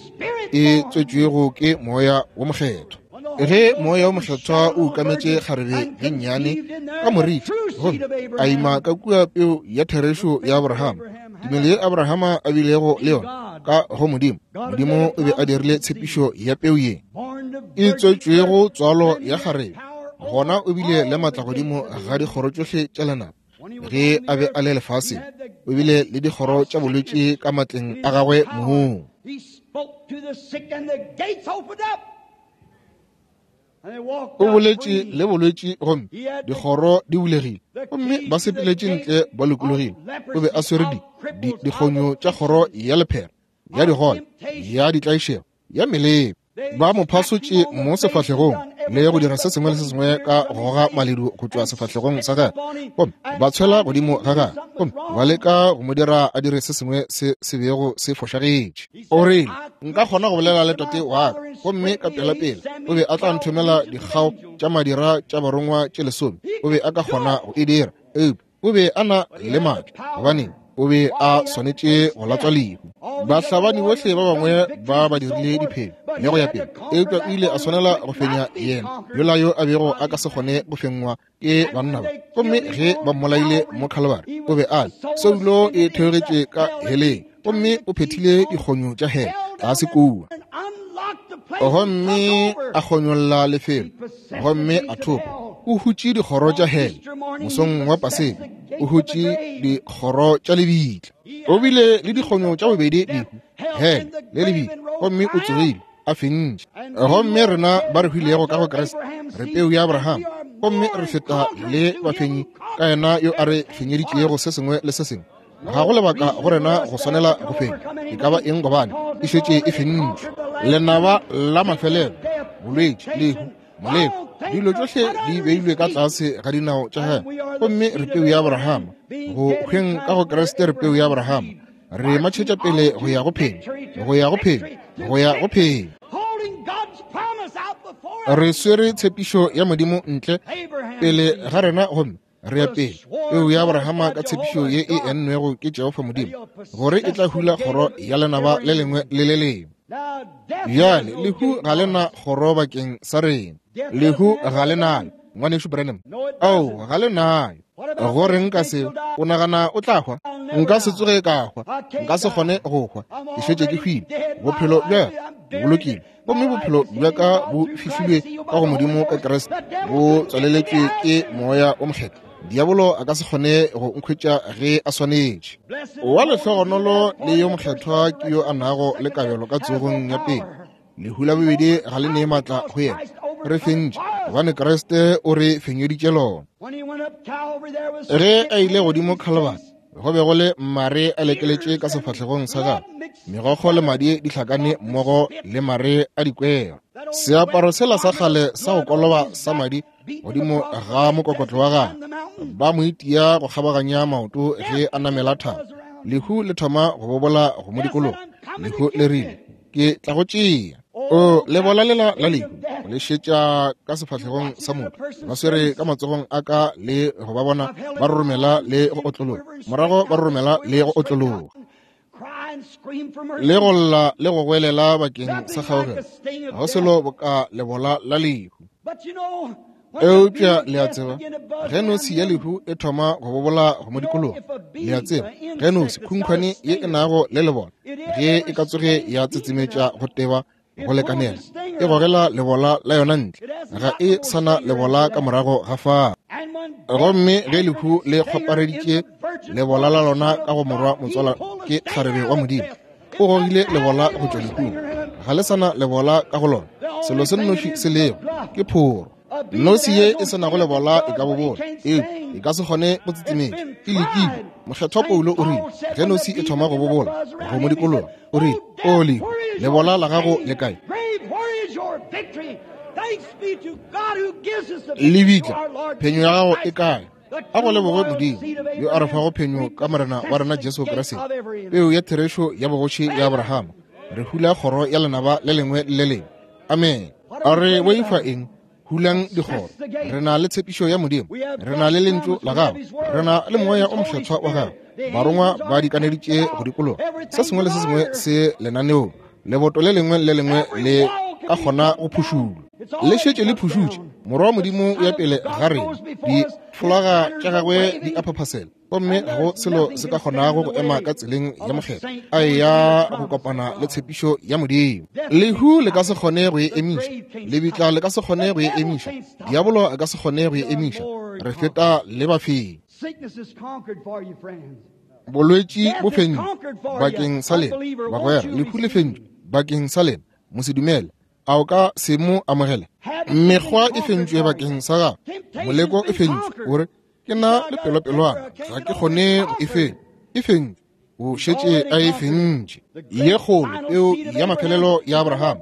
e tswetšwego ke Moya wo Mokgethwa. Ge Moya wo Mokgethwa o ukametše kgarebe ye nnyane ka moriti, gomme a ima ka kua peu ya therešo ya Abrahama, tumelo ye Abrahama a bilego le yona ka go Modimo, Modimo o be a dirile tshepišo ya peu ye e tswetšwego tswalo ya kgarebe. Gona o bile le maatla godimo ga dikgoro tšohle tša lenaba. Ge a be a le lefaseng, o bile le dikgoro tša bolwetši ka matleng a gagwe mong. O boletše le bolwetši gomme dikgoro di bulegile, gomme ba sepeletše ntle ba lokologile. O be a swere di di dikgonyo tša kgoro ya lephera, ya digole, ya ditlaišego, ya melemo. Ba mo phasotše mo sefahlegong, le go dira se sengwe le se sengwe ka go goga maledu go tšwa sefahlegong sa gagwe, gomme ba tshwela godimo ga gagwe, gomme ba leka go mo dira a dire se sengwe se se bego se fošagetše. O rile, nka kgona go bolela le tate wa ka, gomme ka pelapela o be a tla nthomela dikgao tša madira tša barongwa tše lesome. O be a ka kgona go e dira, eupša o be a na le maatla, gobane o be a swanetše go latswa lehu. Bahlabani bohle ba bangwe ba ba dirile diphenyo le go ya pele, eupša o ile a swanela go fenya yena yola yo a bego a ka se kgone go fengwa ke banna ba. Gomme ge ba mmolaile mo Calvary, o be a le soulo e theogetše ka heleng, gomme o phethile dikgonyo tša hele tlase kua, gomme a kgonyolla lefelo, gomme a thopa. O hutše dikgoro tša hele mosong wa Paseka, o hutše dikgoro tša lebitla. O bile le dikgonyo tša bobedi, lehu, hele le lebitla, gomme o tsogile a fentše. Gomme rena ba re hwilego ka go Kriste re peu ya Abraham, gomme re feta le bafenyi ka yena yo a re fenyeditšego se sengwe le se sengwe. Ga go lebaka go rena go swanela go fenya e ka ba eng, gobane e šetše e fentšwe. Lenaba la mafelelo, bolwetši, lehu, moleko, dilo tšohle di beilwe ka tlase ga dinao tša gagwe, gomme re peu ya Abraham. Go hweng ka go Kriste re peu ya Abraham. Re matšhetša pele go ya go phenya, go ya go phenya, go ya go phenya. Re swere tshepišo ya Modimo ntle pele ga rena, gomme re ya pele. Peu ya Abrahama ka tshepišo ye e ennwego ke Jehofa Modimo, gore e tla hula kgoro ya lenaba le lengwe le le lengwe. Bjale lehu ga le na kgoro bakeng sa rena. Lehu ga le nayo, ngwanešu Branham. Ao, ga le nayo. Go reng ka seo? O nagana o tla hwa? Nka se tsoge ka hwa. Nka se kgone go hwa. Ke šetše ke hwile. Bophelo bja bo bolokilwe, gomme bophelo bja ka bo fihlilwe ka go Modimo ka Kriste, bo tswaleletšwe ke Moya o Mokgethwa. Diabolo a ka se kgone go nkhwetša ge a swanetše. Wa lehlogonolo le yo mokgethwa ke yo a nago le kabelo ka tsogong ya pele. Lehu la bobedi ga le nee maatla go yena. Re fentše, gobane Kriste o re fenyeditše lona. Ge a ile godimo Calvary, go be go le mare a lekeletše ka sefahlegong sa gagwe, megokgo le madi di hlakane mmogo le mare a dikwero. Seaparo sela sa kgale sa go koloba sa madi godimo ga mokokotlo wa gagwe, ba mo itia go kgabaganya maoto ge a namela thaba. Lehu le thoma go bobola go mo dikologa. Lehu le rile, ke tla go tšea. O lebola lela la lehu le šetša ka sefahlegong sa motho, ba swere ka matsogong a ka le go ba bona ba roromela le go otlologa, morago ba roromela le go otlologa, le go lla le go goelela bakeng sa kgaogelo. Ga go selo boka lebola la lehu. Eupša le a tseba, ge nosi ya lehu e thoma go bobola go mo dikologa, le a tseba, ge nosi khunkhwane ye e nago le lebola, ge e ka tsoge ya tsetsemetša go teba go lekanela, e gogela lebola la yona ntle, ga e sana lebola ka morago ga fao. Gomme ge lehu le kgwapareditše lebola la lona ka go morwa motswala ke kgarebe wa Modimo, o gogile lebola go tšwa lehung, ga le sana lebola ka go lona. Selo se nnoši se lego ke phoro. Nosi ye e se nago lebola e ka bobola, eupša e ka se kgone go tsetsemetša. E lekile. Mokgethwa Paulo o rile, ge nosi e thoma go bobola go mo dikologa, o rile, o lehu, lebola la gago le kae? Lebitla, phenyo ya gago e kae? A go leboge Modimo yo a re fago phenyo ka Morena wa rena Jesu Kriste, peu ya therešo ya bogoši ya Abrahama. Re hula kgoro ya lenaba le lengwe le le lengwe. Amen. A re boifa eng? Hulang dikgoro. Re na le tshepišo ya Modimo, re na le lentšu la gagwe, re na le Moya o Mokgethwa wa gagwe. Barongwa ba dikaneditše go dikologa. Se sengwe le se sengwe se lenaneong, leboto le lengwe le lengwe le ka kgona go phušulwa. Le šetše le phušutše. Morwa wa Modimo o ya pele ga rena, difolaga tša gagwe di a phaphasela, gomme ga go selo se ka kgonago go ema ka tseleng ya mokgethwa a eya go kopana le tshepišo ya Modimo. Lehu le ka se kgone go e emiša, lebitla le ka se kgone go e emiša, diabolo a ka se kgone go e emiša. Re feta le bafenyi. Bolwetši bo fentšwe bakeng sa lena, bagwera. Lehu le fentšwe bakeng sa lena, mosedumele. A o ka se mo amogele? Mekgwa e fentšwe bakeng sa gago, moleko e fentšwe. O re, ke na le pelopelwana, ga ke kgone go e fenya. E fentšwe, o šetše a e fentše. Ye kgolo, peu ya mafelelo ya Abraham,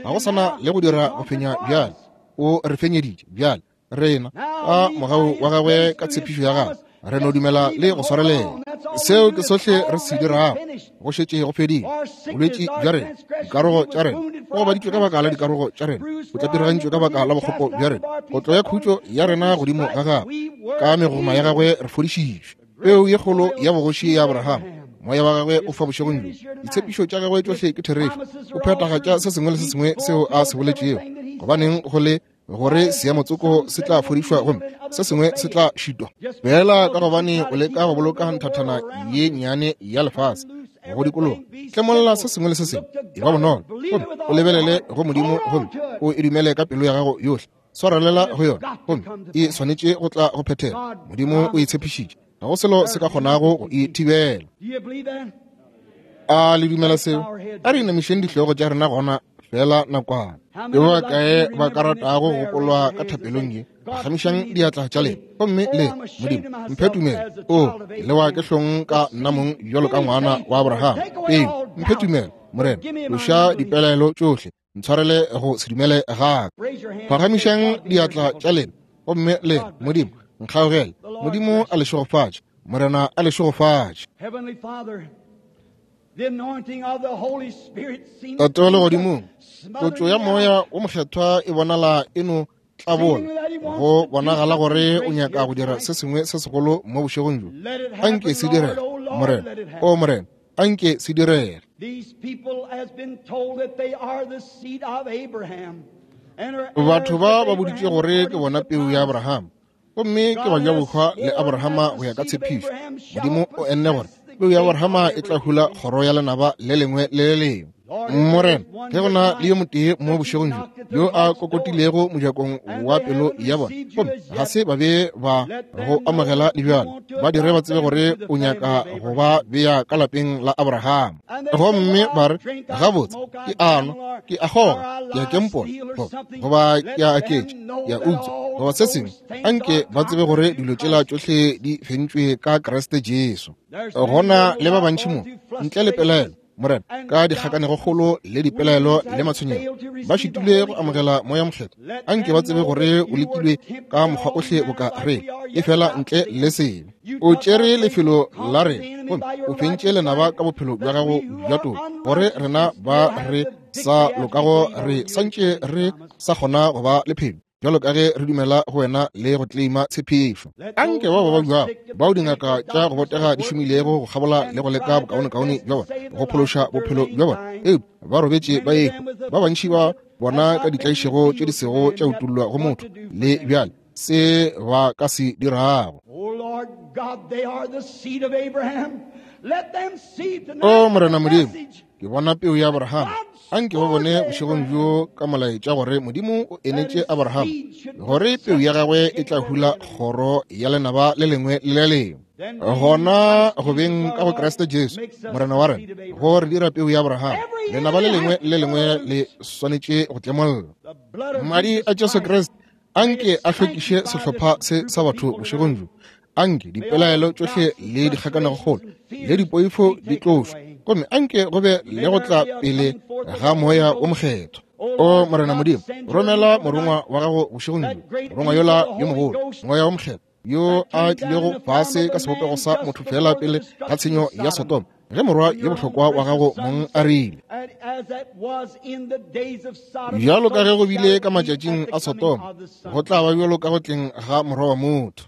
ga go sana le go dira go fenya bjale. O re fenyeditše. Bjale rena ka mogau wa gagwe, ka tshepišo ya gagwe, re no dumela le go swarelela. Seo ke sohle re se dirago. Go šetše go fedile. Bolwetši bja rena, dikarogo tša rena, o gobaditšwe ka baka la dikarogo tša rena, o tlapirigantšwe ka baka la bokgopo bja rena. Kotlo ya khutšo ya rena godimo ga gagwe, ka megoma ya gagwe re fodišitšwe. Peu ye kgolo ya bogoši ya Abraham, moya wa gagwe o fa bošegong bjo. Ditshepišo tša gagwe tšohle ke therešo. O phethagatša se sengwe le se sengwe seo a se boletšego. Gobaneng go le gore seamotsoko se tla fodišwa gomme se sengwe se tla šitwa? Fela ka gobane o leka go boloka nthathana ye nnyane ya lefase go dikologa, tlemolla se sengwe le se sengwe, e ba bonolo, gomme o lebelele go Modimo gomme o e dumele ka pelo ya gago yohle. Swarelela go yona, gomme e swanetše go tla go phethela. Modimo o e tshepišitše, ga go selo se ka kgonago go e thibela. A le dumela seo? A re inamišeng dihlogo tša rena gona fela nakwana. Ke ba kae ba ka ratago go gopolwa ka thapelong ye? Phagamišang diatla tša lena gomme le Modimo, mphe tumelo. O, ke lewa ke hlong ka nna mong bjalo ka ngwana wa Abraham. Ee, mphe tumelo, Morena. Tloša dipelaelo tšohle, ntshwarele go se dumele ga ka. Phagamišang diatla tša lena gomme le Modimo, nkgaogele. Modimo a le šegofatše. Morena a le šegofatše. Tate wa legodimong, tlotšo ya moya wo mokgethwa e bonala e no tlabola, go bonagala gore o nyaka go dira se sengwe se segolo mo bošegong bjo. Anke se direge, Morena. O Morena, anke se direge. Batho ba ba boditše gore ke bona peu ya Abraham, gomme ke bajabohwa le Abrahama go ya ka tshepišo. Modimo o enne gore peu ya Abrahama e tla hula kgoro ya lenaba le lengwe le le lengwe. Morena, ge go na le yo motee mo bošegong bjo yo a kokotilego mojakong wa pelo ya bona, gomme ga se ba be ba go amogela le bjalo, ba dire ba tsebe gore o nyaka go ba bea ka lapeng la Abraham. Gomme ba re, gabotse, ke a nwa, ke a kgoga, ke a kempola, goba ke a aketša, ke a utswa, goba se sengwe. Anke ba tsebe gore dilo tšela tšohle di fentšwe ka Kriste Jesu. Gona le ba bantši mo ntle le pelaelo, Morena, ka dikgakanegokgolo le dipelaelo le matshwenyego, ba šitile go amogela moya mokgethwa. Anke ba tsebe gore o lekilwe ka mokgwa ohle boka re, e fela ntle le sebe. O tšere lefelo la rena gomme o fentše lenaba ka bophelo bja gago bja toka, gore rena ba re sa lokago re santše re sa kgona go ba le phelo, bjalo ka ge re dumela go wena le go kleima tshepišo. Anke bao ba babjago, bao dingaka tša go botega di šomilego go kgabola le go leka bokaonekaone bja bona go phološa bophelo bja bona, eupša ba robetše ba ehwa, ba bantši ba bona ka ditlaišego tše di sego tša utollwa go motho le bjale se ba ka se dirago. O Morena Modimo, ke bona peu ya Abraham. Anke ba bone bošegong bjo ka molaetša gore Modimo o enetše Abraham gore peu ya gagwe e tla hula kgoro ya lenaba le lengwe le le lengwe. Gona go beng ka go Kriste Jesu Morena wa rena, go re dira peu ya Abraham, lenaba le lengwe le lengwe le swanetše go tlemolla. Madi a Jesu Kriste anke a hlwekiše sehlopha se sa batho bošegong bjo. Anke dipelaelo tšohle le dikgakanegokgolo le dipoifo di tlošwe, gomme anke go be le go tla pele ga moya o mokgethwa. O Morena Modimo, romela morongwa wa gago bošegong bjo, morongwa yola yo mogolo, moya o mokgethwa, yo a tlilego fase ka sebopego sa motho fela pele ga tshenyo ya Sodoma, ge morwa yo bohlokwa wa gago mong a rile, bjalo ka ge go bile ka matšatšing a Sodoma, go tla ba bjalo ka go tleng ga morwa wa motho.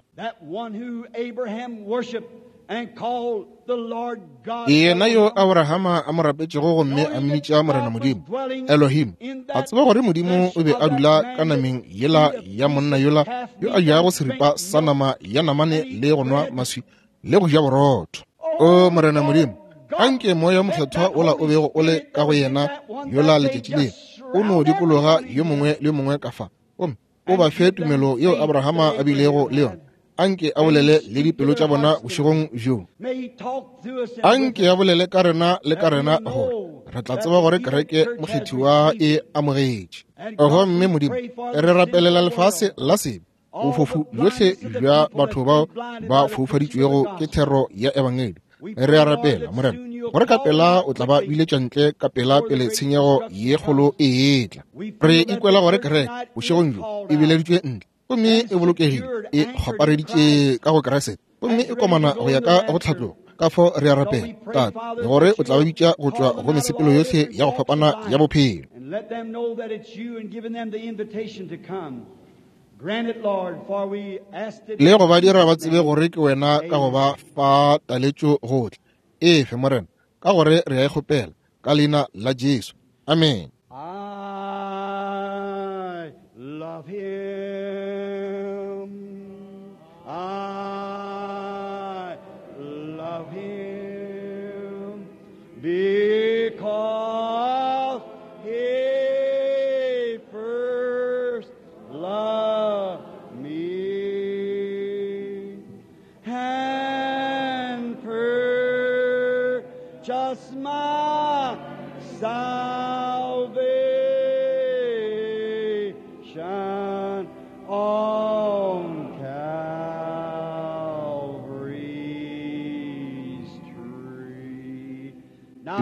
Yena yo Abrahama a mo rapetšego gomme a mmitša Morena Modimo, Elohim, a tseba gore Modimo o be a dula ka nameng yela ya monna yola yo a jago seripa sa nama ya namane le go nwa maswi le go ja borotho. O Morena Modimo, anke moya mokgethwa ola o bego o le ka go yena yola letšatši le o no dikologa yo mongwe le mongwe ka fa, gomme o ba fe tumelo yeo Abrahama a bilego le yona. Anke a bolele le dipelo tša bona bošegong bjo. Anke a bolele ka rena le ka rena gore re tla tseba gore kereke mokgethiwa e amogetše. Gomme Modimo, re rapelela lefase la sebe, bofofu bjohle bja batho bao ba foufaditšwego ke thero ya ebangedi. Re a rapela, Morena, gore ka pela o tla ba biletša ntle ka pela pele tshenyego ye kgolo e etla. Re ikwela gore kereke bošegong bjo e bileditšwe ntle gomme e bolokegile, e kgwapareditše ka go Kriste, gomme e komana go ya ka go tlhatlogo. Ka fao re a rapela, Tate, gore o tla ba bitša go tšwa go mesepelo yohle ya go fapana ya bophelo. Le go ba dira ba tsebe gore ke wena ka go ba fa taletšo go tla. Efe, Morena, ka gore re a e kgopela ka leina la Jesu. Amen. I love him. I love him because he first loved me and purchased my salvation on Calvary's tree.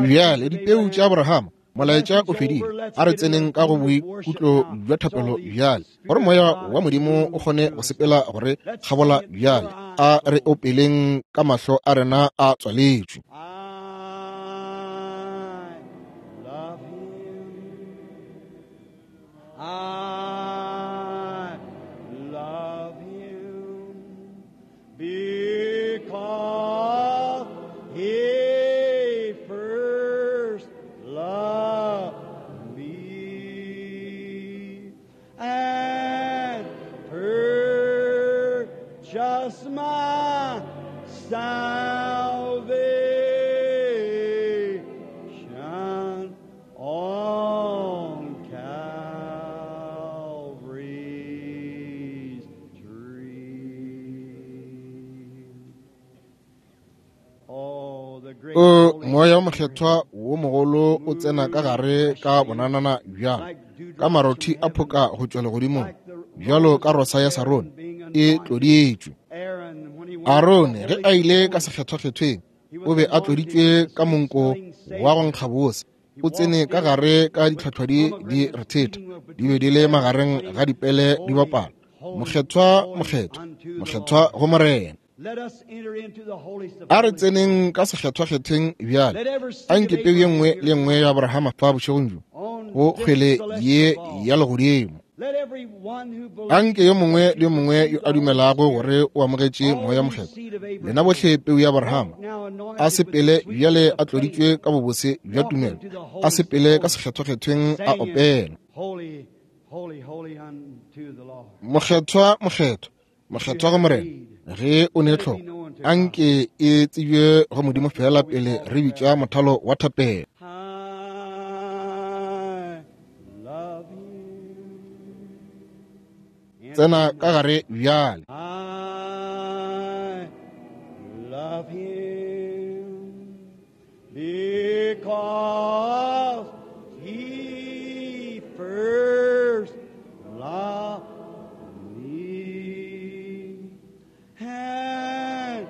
Bjale dipeu tša Abrahama, molaetša o fedile. A re tseneng ka go boikutlo bja thapelo bjale, gore moya wa Modimo o kgone go sepela gore kgabola bjale. A re opeleng ka mahlo a rena a tswaletšwe. I love him. I love him because he first loved me and purchased my salvation on Calvary's tree. Oh, the great O Holy moya Spirit, mokgethwa wo mogolo o tsena ka gare ka bonanana bjalo ka marothi a phoka go tšwa legodimong, bjalo ka rosa ya Sarone e tloditšwe. Aaron, when he went Arone to ge a ile ka sekgethwakgethweng o be a tloditšwe ka monko wa go nkga bose. O tsene ka gare ka ditlhotlhwadi di rethetha, di be di le magareng ga dipele di bapala. Mokgethwa, mokgethwa, mokgethwa go Morena. Let us enter into the holiest of A re holies. tseneng ka sekgethwakgethweng bjale. Let every seed A of nke peu ye Abraham nngwe here le nngwe ya Abrahama fa bošegong bjo on go this kgwele ye celestial ball. ya legodimo. Let every one who A believes nke yo mongwe le yo mongwe yo a dumelago gore o amogetše all moya you mokgethwa, seed of lena Abraham, bohle peu ya Abrahama, now a anointed with the sepele bjale sweetness a of tloditšwe faith, ka bobose bja walk tumelo, into the a holiest of sepele ka holies, sekgethwakgethweng a saying, opela. Holy, holy, holy unto the Lord. Mokgethwa, mokgethwa, If you mokgethwa go have Morena. need, Ge o ne let it be tlhoko, known to a God. nke e tsebje go Modimo fela Before we pele call re the bitša prayer. mothalo wa thapelo. I love him. Enter Tsena in ka now. gare bjale. I love him because he first loved me and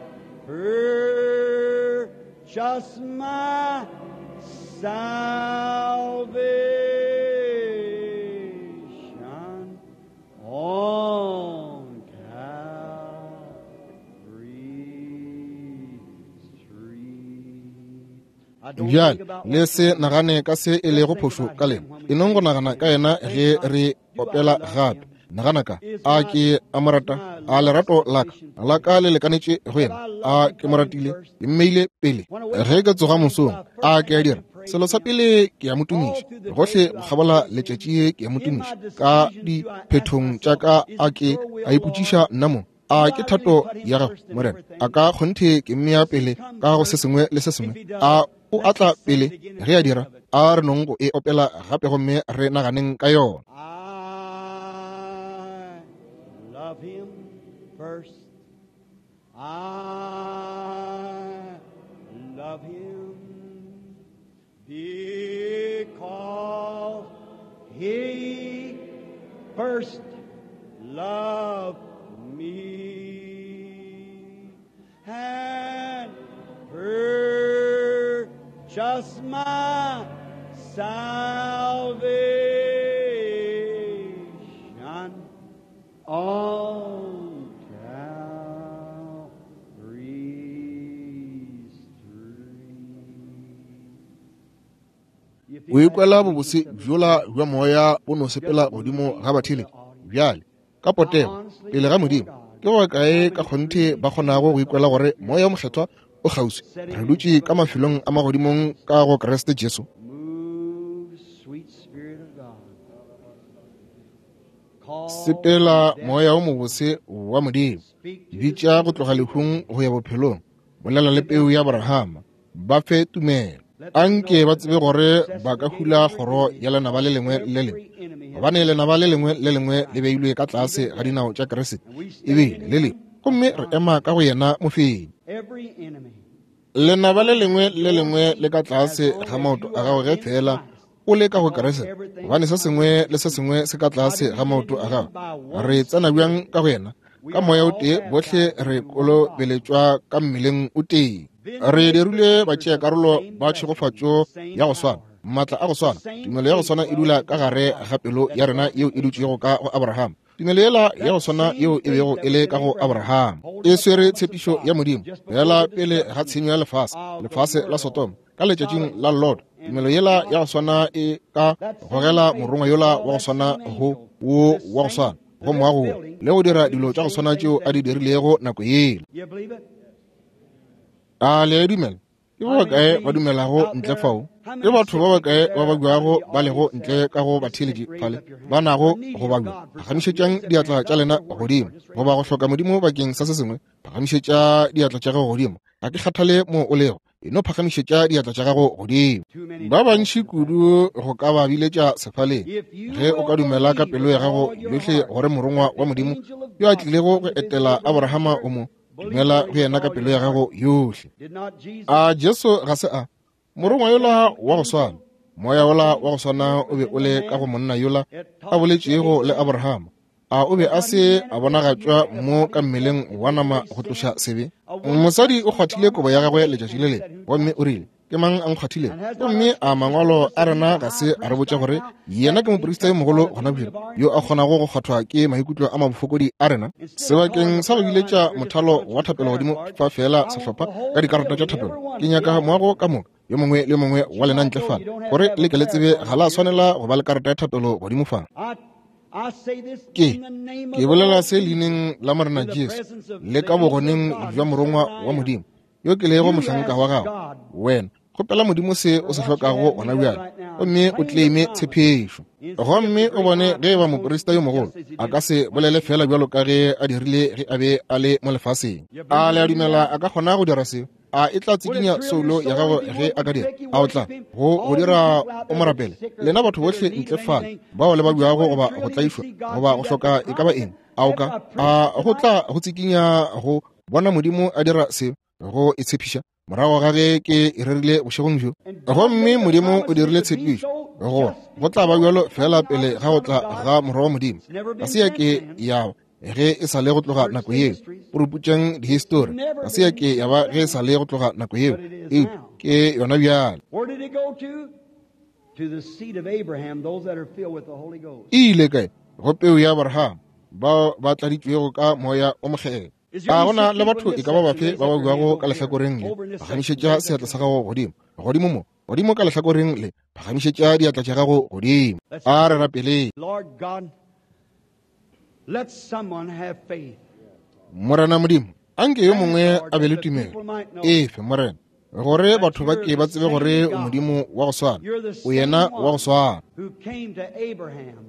purchased my salvation on Calvary's tree. I don't think Bjale about le what's se wrong. nagane ka se e Just lego think phošo about ka him lena. when E we nong go sing nagana again. ka yena Think ge not, re do I opela love gape. him? Nagana ka, Is a my ke a mo is rata? my A love lerato la ka sufficient for la ka him? le lekanetše go Have yena? I A loved ke mo because him ratile? first? Ke mmeile pele. When I wake Ge up ke in the tsoga morning, mosong, the a first ke thing a I dira do praise selo sa him. pele ke a mo All tumiša. through the day Gohle do go I kgabola praise him. letšatši ke a mo In my tumiša. Ka decisions do I ask diphethong tša myself, ka is a it ke your will, a ipotšiša Lord? nna mo, Do a I ke really thato put him ya gago first in Morena? A everything? ka kgonthe ke mmea Does he pele come ka go se first? sengwe le se If sengwe? he A does, o let's atla just sing pele it again and ge a think dira? of it. A re nong go e opela gape gomme re naganeng ka yona. I love him first. I love him because he first loved me and purchased Purchased my salvation on Calvary's tree. O ikwela bobose bjola bja moya bo no sepela godimo ga batheeletši bjale ka potego pele ga Modimo. Ke go kae ka kgonthe ba kgonago go ikwela gore moya o mokgethwa o kgauswi? Re dutše ka mafelong a magodimong ka go Kriste Jesu. Move, sweet Spirit of God. Call Sepela moya o mobose wa Modimo, bitša go tloga lehung go ya bophelong, bolela le peu ya Abrahama, ba fe tumelo. Anke ba tsebe gore ba ka hula kgoro ya lenaba le lengwe le lengwe, gobane lenaba le lengwe le lengwe le beilwe ka tlase ga dinao tša Kriste, ebile le lengwe, gomme re ema ka go yena mofenyi. Every enemy. Lenaba le lengwe le lengwe le ka tlase ga maoto a gago ge fela o le ka go Kriste, gobane se sengwe le se sengwe se ka tlase ga maoto a gago. Re tsena bjang ka go yena? Ka moya o tee bohle re kolobeletšwa ka mmeleng o tee. Re dirilwe batšeakarolo ba tšhegofatšo ya go swana, maatla a go swana, tumelo ya go swana e dula ka gare ga pelo ya rena yeo e dutšego ka go Abraham. Tumelo yela ya go swana yeo e bego e le ka go Abraham e swere tshepišo ya Modimo fela pele ga tshenyo ya lefase, lefase la Sodoma ka letšatšing la Lot. Tumelo yela ya go swana e ka gogela morongwa yola wa go swana go wo wa go swana go moago wo, le go dira dilo tša go swana tšeo a di dirilego nako yela. You believe it? A le a dumela? Ke ba bakae ba dumelago ntle fao? Ke batho ba bakae ba babjago ba lego ntle ka go batheeletši fale ba nago go babja? Phagamišetšang diatla tša lena godimo. Goba go hloka Modimo bakeng sa se sengwe, phagamišetša diatla tša gago godimo. Ga ke kgathale mo o lego, e no phagamišetša diatla tša gago godimo. Ba bantši kudu go ka ba biletša sefaleng. Ge o ka dumela ka pelo ya gago yohle gore morongwa wa Modimo yo a tlilego go etela Abrahama o mo, dumela go yena ka pelo ya gago yohle. Did not Jesus A Jesu ga se a morongwa yola wa go swana, moya wola wa go swana o be o le ka go monna yola a boletšego le Abrahama? A o be a se a bonagatšwa mo ka mmeleng wa nama go tloša sebe? Mosadi o kgwathile kobo ya gagwe letšatši le lengwe, gomme o rile, ke mang a nkgwathilego? Gomme a mangwalo a rena ga se a re botša gore yena ke moprista yo mogolo gona bjale yo a kgonago go kgwathwa ke maikutlo a mabofokodi a rena? Sebakeng sa go biletša mothalo wa thapelo godimo fa fela sehlopha ka dikarata tša thapelo, ke nyaka moago ka moka yo mongwe le mongwe wa lena ntle fale, gore le ke le tsebe ga la swanela go ba le karata ya thapelo godimo fa. I, I say this Ke in the name of ke the bolela Lord se leineng la Morena Jesu le ka bogoneng bja morongwa wa Modimo yo ke lego mohlanka wa gago. Wena kgopela Modimo se o se hlokago gona bjale, gomme o claime tshepišo, gomme o bone ge eba moprista yo mogolo a ka se bolele fela bjalo ka ge a dirile ge a be a le mo lefaseng. A le a dumela a ka kgona go dira seo? A e tla tsikinya soulo ya gago ge a ka dira? A o tla go go dira o mo rapele? Lena batho bohle ntle fale bao le babjago goba go tlaišwa goba go hloka e ka ba eng, a o ka a go tla go tsikinya go bona Modimo a dira seo go e tshepiša morago ga ge ke e rerile bošegong bjo? Gomme Modimo o dirile tshepišo gore go tla ba bjalo fela pele ga go tla ga morwa wa Modimo. Ga se ya ke ya ge e sa le go tloga nako yeo. Puruputšang dihistori, ga se ya ke ya ba ge e sa le go tloga nako yeo, eupša ke yona bjale. Where did it go to? To the seed of Abraham, those that are filled with the Holy Ghost. E ile kae? Go peu ya Abraham, bao ba tladitšwego ka moya o mokgethwa. A gona le batho e ka ba bafe ba ba buago ka lehlakoreng le? Phagamišetša seatla sa gago godimo, godimo mo, godimo ka lehlakoreng le, phagamišetša diatla tša gago godimo. A re rapeleng. Lord God, let someone have faith. Morena Modimo, anke yo mongwe a be le tumelo. Efe, Morena, gore batho ba ke ba tsebe gore o Modimo wa go swana, You're the o yena same wa go one swana who came to Abraham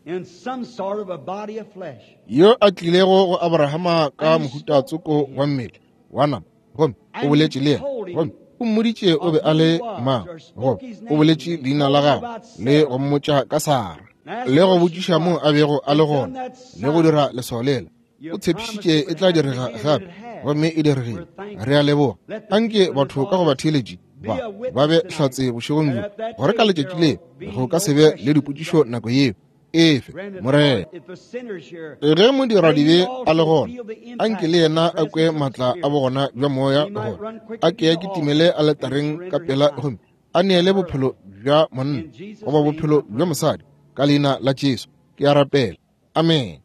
in some sort of a body of flesh. yo a tlilego go Abrahama ka mohuta tsoko wa mmele wa nama, gomme o boletše le yena, gomme o mmoditše o be a le mang, goba o boletše leina la gagwe le go mmotša ka Sara, le go botšiša mo a bego a le gona, le go dira leswao lela. O tshepišitše e tla direga gape, gomme e diregile. Re a leboga. Anke batho ka go batheeletši ba ba be hlatse bošegong bjo, gore ka letšatši le go ka se be le dipotšišo nako yeo, Efe Morena. Ge modiradibe a le gona, anke le yena a kwe maatla a bogona bja moya gore a ke a kitimele aletareng ka pela gomme a neele bophelo bja monna goba bophelo bja mosadi ka leina la Jesu. Ke a rapela. Amen.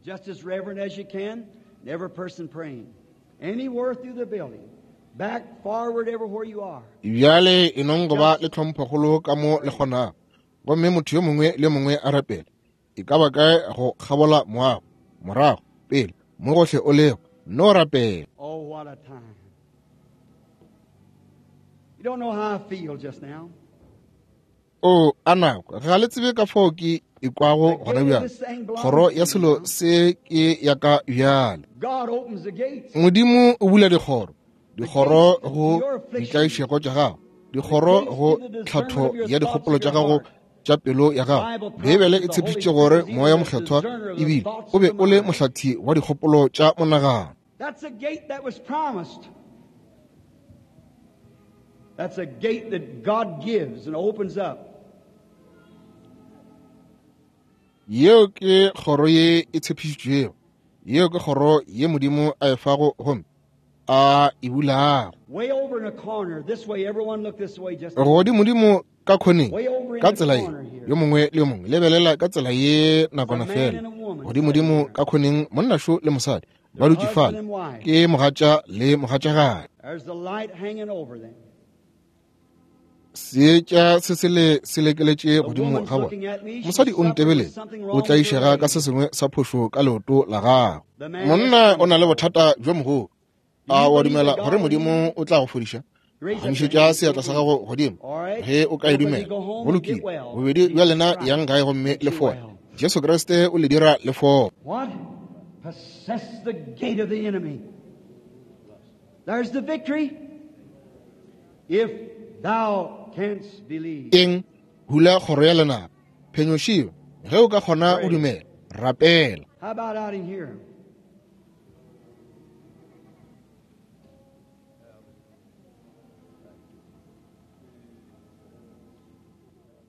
Just as reverent as you can, and every person praying. Anywhere through the building, back, forward, everywhere you are. Bjale e nong go ba le tlhomphokgolo ka mo le kgonago, gomme motho yo mongwe le mongwe a rapela. E ka ba kae go kgabola moago, morago, pele, mo gohle o lego, no rapela. Oh, what a time. You don't know how I feel just now. O a nako, ga le tsebe ka fao ke ikwago gona bjale. Kgoro ya selo se ke ya ka bjale. Modimo o bula dikgoro, dikgoro go ditlaišego tša gago, dikgoro go tlhatho ya dikgopolo tša gago tša pelo ya gago. Beibele e tshepišitše gore Moya Mokgethwa ebile o be o le mohlathi wa dikgopolo tša monagano. That's a gate that was promised. That's a gate that God gives and opens up. Yeo ke kgoro ye e tshepišitšwego. Yeo ke kgoro ye Modimo a e fago gomme a e bulago. Way over in a corner, this way, everyone look this way just Godimodimo ka khoneng, ka tsela ye, yo mongwe le yo mongwe lebelela ka tsela ye nakwana fela. Godimodimo ka khoneng, monnašo le mosadi ba dutše fale, ke mogatša le mogatšagadi. There's the light hanging over them. Seetša se se le se lekeletše godimo ga bona. Mosadi o ntebeletse, o tlaišega ka se sengwe sa phošo ka leoto la gagwe. Monna o na le bothata bjo mogolo. A wa dumela gore Modimo o tla go fodiša? Phagamišetša seatla sa gago godimo ge o ka e dumela. Go lokile, bobedi bja lena yang gae gomme le fole. Jesu Kriste o le dira le fole. What? Possess the gate of the enemy. There's the victory. If thou canst believe. Eng? Hula kgoro ya lenaba. Phenyošiwe ge o ka kgona o dumela. Rapela. How about out in here?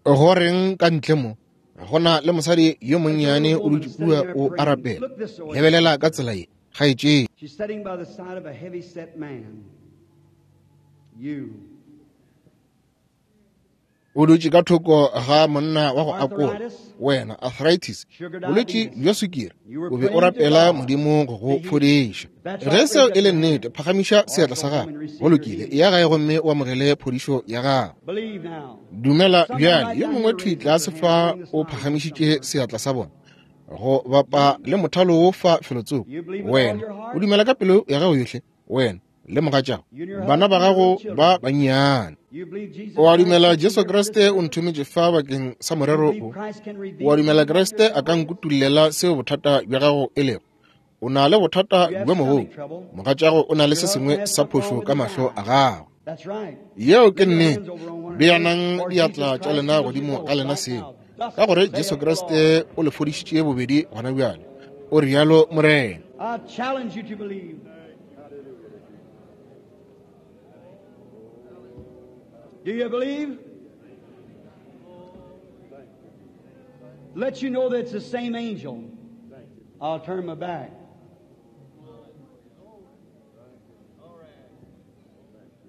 Go reng ka ntle mo? Go na le mosadi yo monnyane o dutše kua o a rapela. Lebelela ka tsela ye, kgaetšedi. She's sitting by the side of a heavy set man. You. O dutše ka thoko ga monna wa go akola, wena arthritis, bolwetši bja sukiri, o be o rapela Modimo go go fodiša. Ge seo e le nnete, phagamiša seatla sa gago. Go lokile, eya gae gomme o amogele phodišo ya gago. Dumela bjale. Yo mongwe thwi tlase fa o phagamišitše seatla sa bona go bapa le mothalo wo fa felotsoko. Wena o dumela ka pelo ya gago yohle, wena le mogatšago, bana ba gago ba bannyane. O a dumela Jesu Kriste o nthometše fa bakeng sa morero o. O a dumela Kriste a ka nkutullela seo bothata bja gago e lego. O na le bothata bjo mogolo. Mogatšago o na le se sengwe sa phošo ka mahlo a gago. Yeo ke nnete. Beanang diatla tša lena godimo ga lena seo, ka gore Jesu Kriste o le fodišitše bobedi gona bjale. O rialo Morena. I challenge you to believe. Do you believe? Let you know that it's the same angel. I'll turn my back.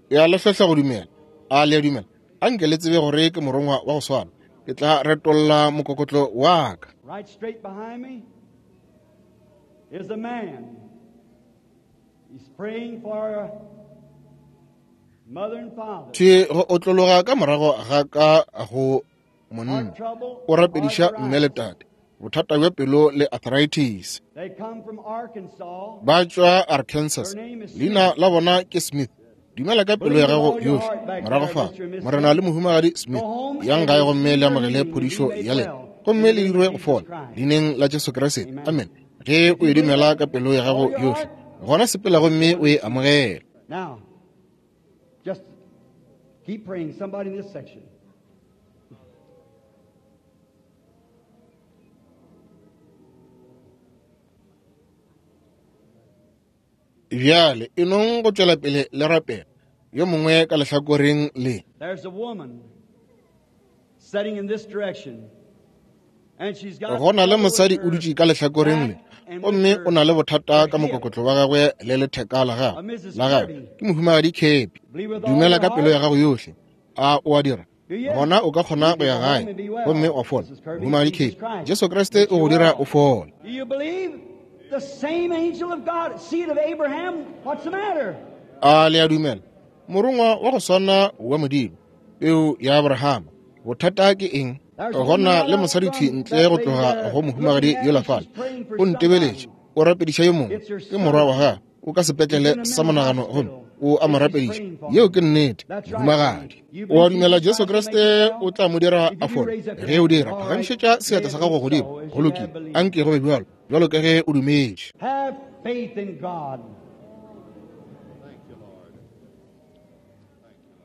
Ya le hlohla go dumela. A le a dumela? Anke le tsebe gore ke morongwa wa go swana. Ke tla retolla mokokotlo wa ka. Right straight behind me is a man. He's praying for mother and father. Thwi go otlologa ka morago ga ka go monna. O rapediša mme le tate. Bothata bja pelo le arthritis. They come from Arkansas. Ba tšwa Arkansas. Leina la bona ke Smith. Dumela ka pelo ya gago yohle. Morago fa, Morena le mohumagadi Smith, yang gae gomme le amogele phodišo ya lena, gomme le dirwe go fola leineng la Jesu Kriste. Amen. Ge o e dumela ka pelo ya gago yohle, gona sepela gomme o e amogele. Now, just keep praying. Somebody in this section. Bjale e nong go tšwela pele le rapela. Yo mongwe ka lehlakoreng le. There's a woman sitting in this direction Go na le mosadi o dutše ka lehlakoreng le, gomme o na le bothata ka mokokotlo wa gagwe le letheka la gagwe la gagwe ke mohumagadi Kepi. Dumela ka pelo ya gago yohle. A o a dira? Gona o ka kgona go ya gae gomme wa fola. Mohumagadi Kepi, Jesu Kriste o go dira o fola. A le a dumela? Morongwa wa go swana wa Modimo, peu ya Abrahama. Bothata ke eng? Gona le mosadi thwi ntle go tloga go mohumagadi yola fale. O ntebeletše, o rapediša yo mongwe, ke morwa wa gagwe, o ka sepetlele sa monagano gomme o a mo rapediša. Yeo ke nnete, mohumagadi. O a dumela Jesu Kriste o tla mo dira a fole? Ge o dira, phagamišetša seatla sa gago godimo. Go lokile, anke go be bjalo, bjalo ka ge o dumetše.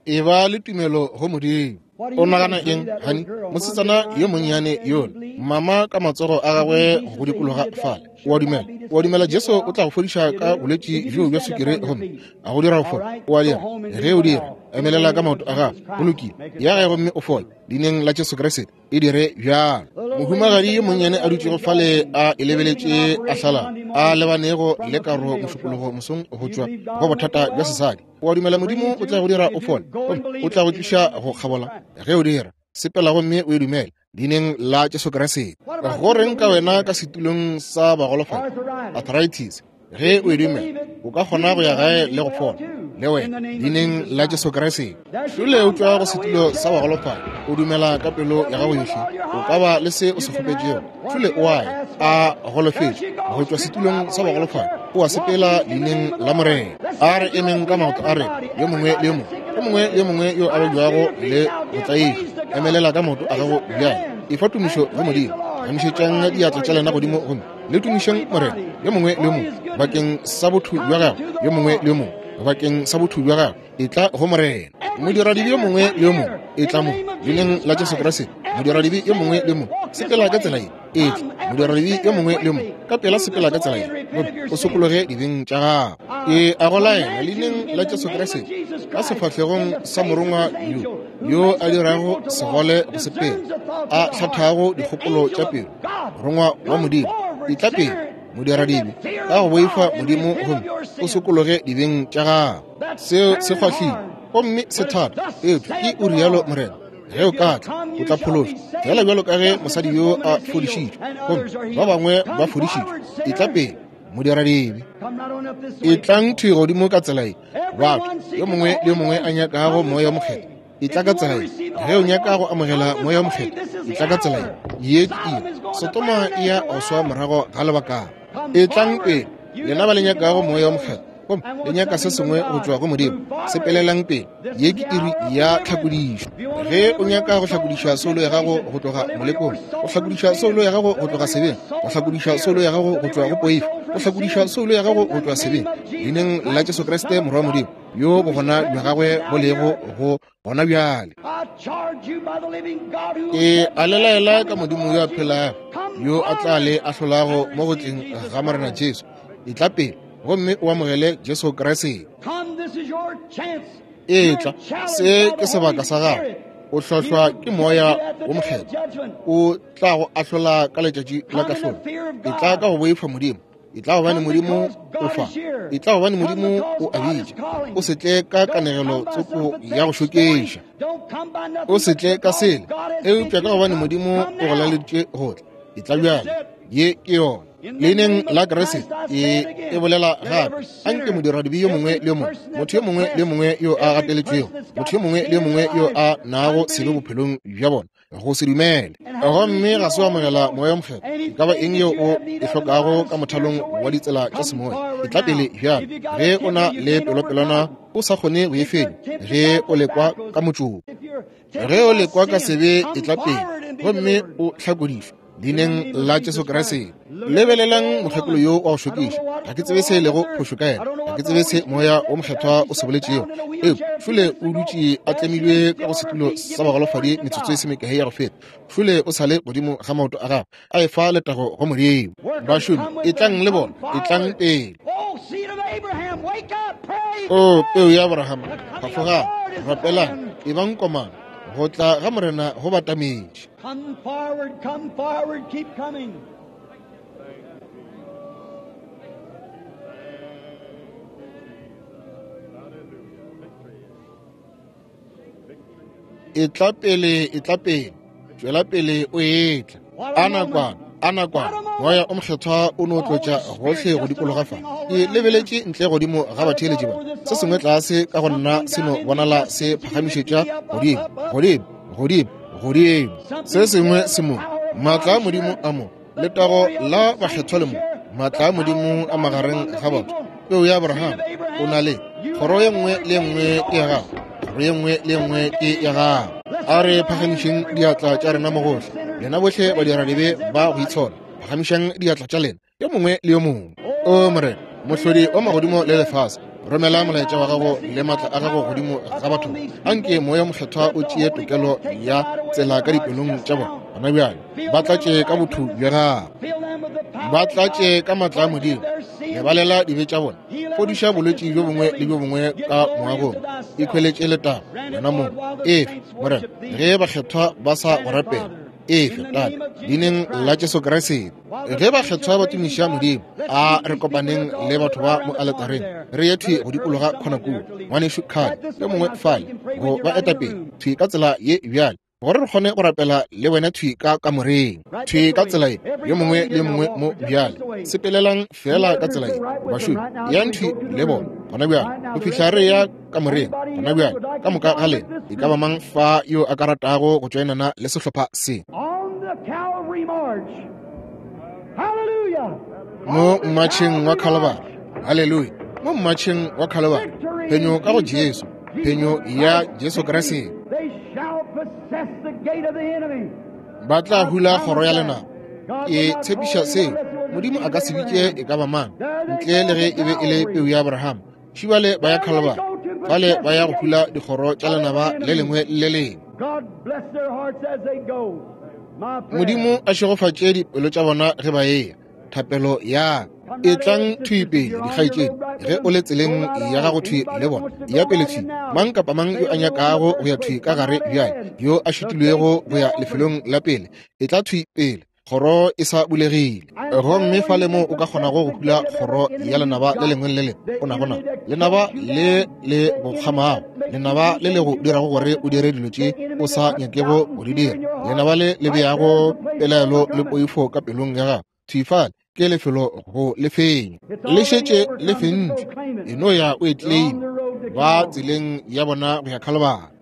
E ba le tumelo go Modimo. O nagana eng, hani? Mosetsana yo monnyane yola, mama ka matsogo a gagwe go dikologa fale. O a dumela? O a dumela Jesu o tla go fodiša ka bolwetši bjo bja sukiri gomme a go dira go fola? O a dira? Ge o dira, emelela ka maoto a gago. Go lokile, ya gae gomme o fole. Leineng la Jesu Kriste, e dire bjalo. Mohumagadi yo monnyane a dutšego fale a e lebeletše a hlala, a lebanego le karo mošupologo mosong go tšwa go bothata bja sesadi. O a dumela Modimo o tla go dira o fole, gomme o tla go tliša go kgabola? Ge o dira, sepela gomme o e dumele leineng la Jesu Kriste. Go reng ka wena ka setulong sa bagolofadi? Arthritis. Ge o e dumela, o ka kgona go ya gae le go fola le wena leineng la Jesu Kriste. Šole o tšwa go setulo sa bagolofadi, o dumela ka pelo ya gago yohle, o ka ba le se o se kgopetšego. Šole o a ya a golofetše go tšwa setulong sa bagolofadi, o a sepela leineng la Morena. A re emeng ka maoto a rena, yo mongwe le yo mongwe, yo mongwe le yo mongwe yo a babjago le go tlaišwa, emelela ka maoto a gago bjale. Efa tumišo go Modimo. Emišetšang diatla tša lena godimo gomme le tumišeng Morena, yo mongwe le yo mongwe bakeng sa botho bja gagwe, yo mongwe le yo mongwe bakeng sa botho bja gagwe. E tla go Morena. Modiradibe yo mongwe le yo mongwe, e tla mo leineng la Jesu Kriste. Modiradibe yo mongwe le yo mongwe, sepela ka tsela ye. E tla modiradibe yo mongwe le yo mongwe, ka pela sepela ka tsela ye, gomme o sokologe dibeng tša gago. Ke a go laela leineng la Jesu Kriste, ka sefahlegong sa morongwa yo yo a dirago segole go sepela, a hlathago dikgopolo tša pelo, morongwa wa Modimo, e tla pele modiradibe ka go boifa Modimo gomme o sokologe dibeng tša gago. Seo se kgwahlile gomme se thata, eupša ke o rialo Morena. Ge o ka tla, o tla phološwa, fela bjalo ka ge mosadi yo a fodišitšwe gomme ba bangwe ba fodišitšwe. E tla pele modiradibe. E tlang thwi godimo ka tsela ye, batho, yo mongwe le yo mongwe a nyakago Moya wo Mokgethwa, e tla ka tsela ye. Ge o nyaka go amogela Moya wo Mokgethwa, e tla ka tsela ye. Ye ke iri. Sotoma e ya go swa morago ga lebakana. E tlang pele, lena ba le nyakago Moya wo Mokgethwa, gomme le nyaka se sengwe go tšwa go Modimo, sepelelang pele. Ye ke iri ya tlhakodišo. Ge o nyaka go hlakodiša soulo ya gago go tloga molekong, go hlakodiša soulo ya gago go tloga sebeng, go hlakodiša soulo ya gago go tšwa go poifo, go hlakodiša soulo ya gago go tšwa sebeng, leineng la Jesu Kriste Morwa wa Modimo, yo bogona bja gagwe bo lego go gona bjale. Ke a le laela ka Modimo yo a phelago, yo a tla le ahlolago mo go tleng ga Morena Jesu. E tla pele gomme o amogele Jesu Kriste. E tla, se ke sebaka sa gago. O hlohlwa ke Moya wo Mokgethwa, o tla go ahlola ka letšatši la kahlolo. E tla ka go boifa Modimo. E tla gobane Modimo o fa. E tla gobane Modimo o a bitša. O se tle ka kanegelo tsoko ya go šoketša. O se tle ka sele, eupša ka gobane Modimo o go laleditše go tla. E tla bjale. Ye ke yona. Leineng la Kriste, e e bolela gape. Anke modiradibe yo mongwe le yo mongwe, motho yo mongwe le yo mongwe yo a gateletšwego, motho yo mongwe le yo mongwe yo a nago sebe bophelong bja bona, go se dumele gomme ga se wa amogela Moya wo Mokgethwa, e ka ba eng yeo o e hlokago ka mothalong wa ditsela tša semoya, e tla pele bjalo. Ge o na le pelopelwana o sa kgone go e fenya, ge o lekwa ka motšoko, ge o lekwa ka sebe, e tla pele gomme o hlakodišwe leineng la Jesu Kriste. Lebelelang mokgekolo yo wa go šokiša. Ga ke tsebe se e lego phošo ka yena, ga ke tsebe se Moya wo Mokgethwa o se boletšego, eupša šole o dutše a tlemilwe ka go setulo sa bagolofadi metsotso e se mekae ya go feta. Šole o sa le godimo ga maoto a gagwe, a efa letago go Modimo. Bašomi, e tlang le bona, e tlang pele. O peu ya Abrahama, phafogang, rapelang, ebang komana, Go tla ga Morena go batametše. Come forward, come forward, keep coming. Etla pele, etla pele, tšwela pele o etla. A nakwana, a nakwana, moya o mokgethwa o no tlotša gohle go dikologa fa. Ke lebeletše ntle godimo ga batheeletši ba. Se sengwe tlase ka go nna se no bonala se phagamišetša godimo, godimo, godimo, godimo. Se sengwe se mo, maatla a Modimo a mo, letago la bakgethwa le mo, maatla a Modimo a magareng ga batho. Peu ya Abraham o na le kgoro ye nngwe le nngwe ke ya gago, kgoro ye nngwe le nngwe ke ya gago. A re phagamišeng diatla tša rena mo gohle, lena bohle badiradibe ba go itshola, phagamišang diatla tša lena yo mongwe le yo mongwe. O Morena, mohlodi wa magodimo le lefase, romela molaetša wa gago le maatla a gago godimo ga batho. Anke moya mokgethwa o tšee tokelo ya tsela ka dipelong tša bona gona bjale. Ba tlatše ka botho bja gago, ba tlatše ka maatla a Modimo. Lebalela dibe tša bona, fodiša bolwetši bjo bongwe le bjo bongwe ka moagong. Ikhweletše letago wena mong. Efe Morena, ge bakgethwa ba sa go rapela, efe Tate, leineng la Jesu Kriste. Ge bakgethwa ba tumiša Modimo, a re kopaneng le batho ba mo aletareng, re ye thwi go dikologa khona kua. Ngwanešu Kgale yo mongwe fale go ba etapele thwi ka tsela ye bjale, gore re kgone go rapela le wena thwi ka kamoreng, thwi ka tsela ye, yo mongwe le yo mongwe mo bjale. Sepelelang fela ka tsela ye, bašomi, yang thwi le bona gona bjale go fihla re ya kamoreng gona bjale. Ka moka ga lena, e ka ba mang fa yo a ka ratago go tšoenana le sehlopha se mo mmatšheng wa Khalibari? Haleluya! Mo mmatšheng wa Khalibari, phenyo ka go Jesu, phenyo ya Jesu Kriste. Ba tla hula kgoro ya lenaba. Ke tshepiša seo. Modimo a ka se bitše e ka ba mang ntle le ge e be e le peu ya Abraham. Šibale ba ya Khalibari, fale ba ya go hula dikgoro tša lenaba le lengwe le lengwe. Modimo a šegofatše dipelo tša bona ge ba eya. Thapelo ya e tlang thwi pele, dikgaetšedi, ge o le tseleng ya gago thwi le bona, ya pele thwi. Mang kapa mang yo a nyakago go ya thwi ka gare bjale, yo a šitilwego go ya lefelong la pele, e tla thwi pele, kgoro e sa bulegile. Gomme fale mo o ka kgonago go hula kgoro ya lenaba le lengwe le lengwe o nago nao, lenaba le le go kgamago, lenaba le le go dirago gore o dire dilo tše o sa nyakego go di dira, lenaba le le beago pelaelo le poifo ka pelong ya gago, thwi fale ke lefelo go le fenya. Le šetše le fentšwe, e no ya o e claim. Ba tseleng ya bona go ya Khalibari.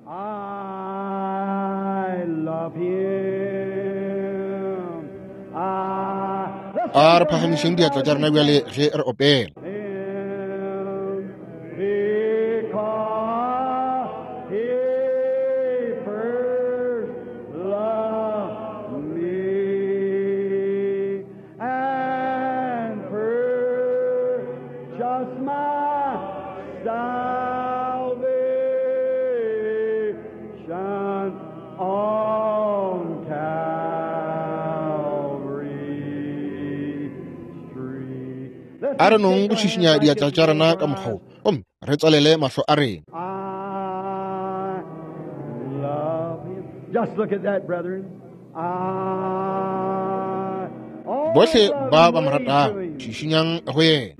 A re phagamišeng diatla tša rena bjale ge re opela. A re nong go šišinya diatla tša rena ka mokgwa wo, gomme re tswalele mahlo a rena. Bohle ba ba mo ratago, šišinyang go yena.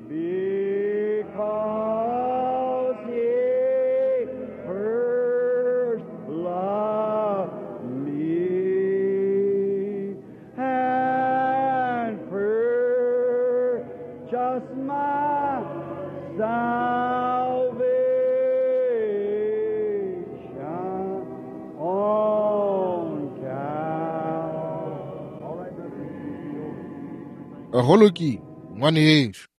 Go lokile, ngwanešu.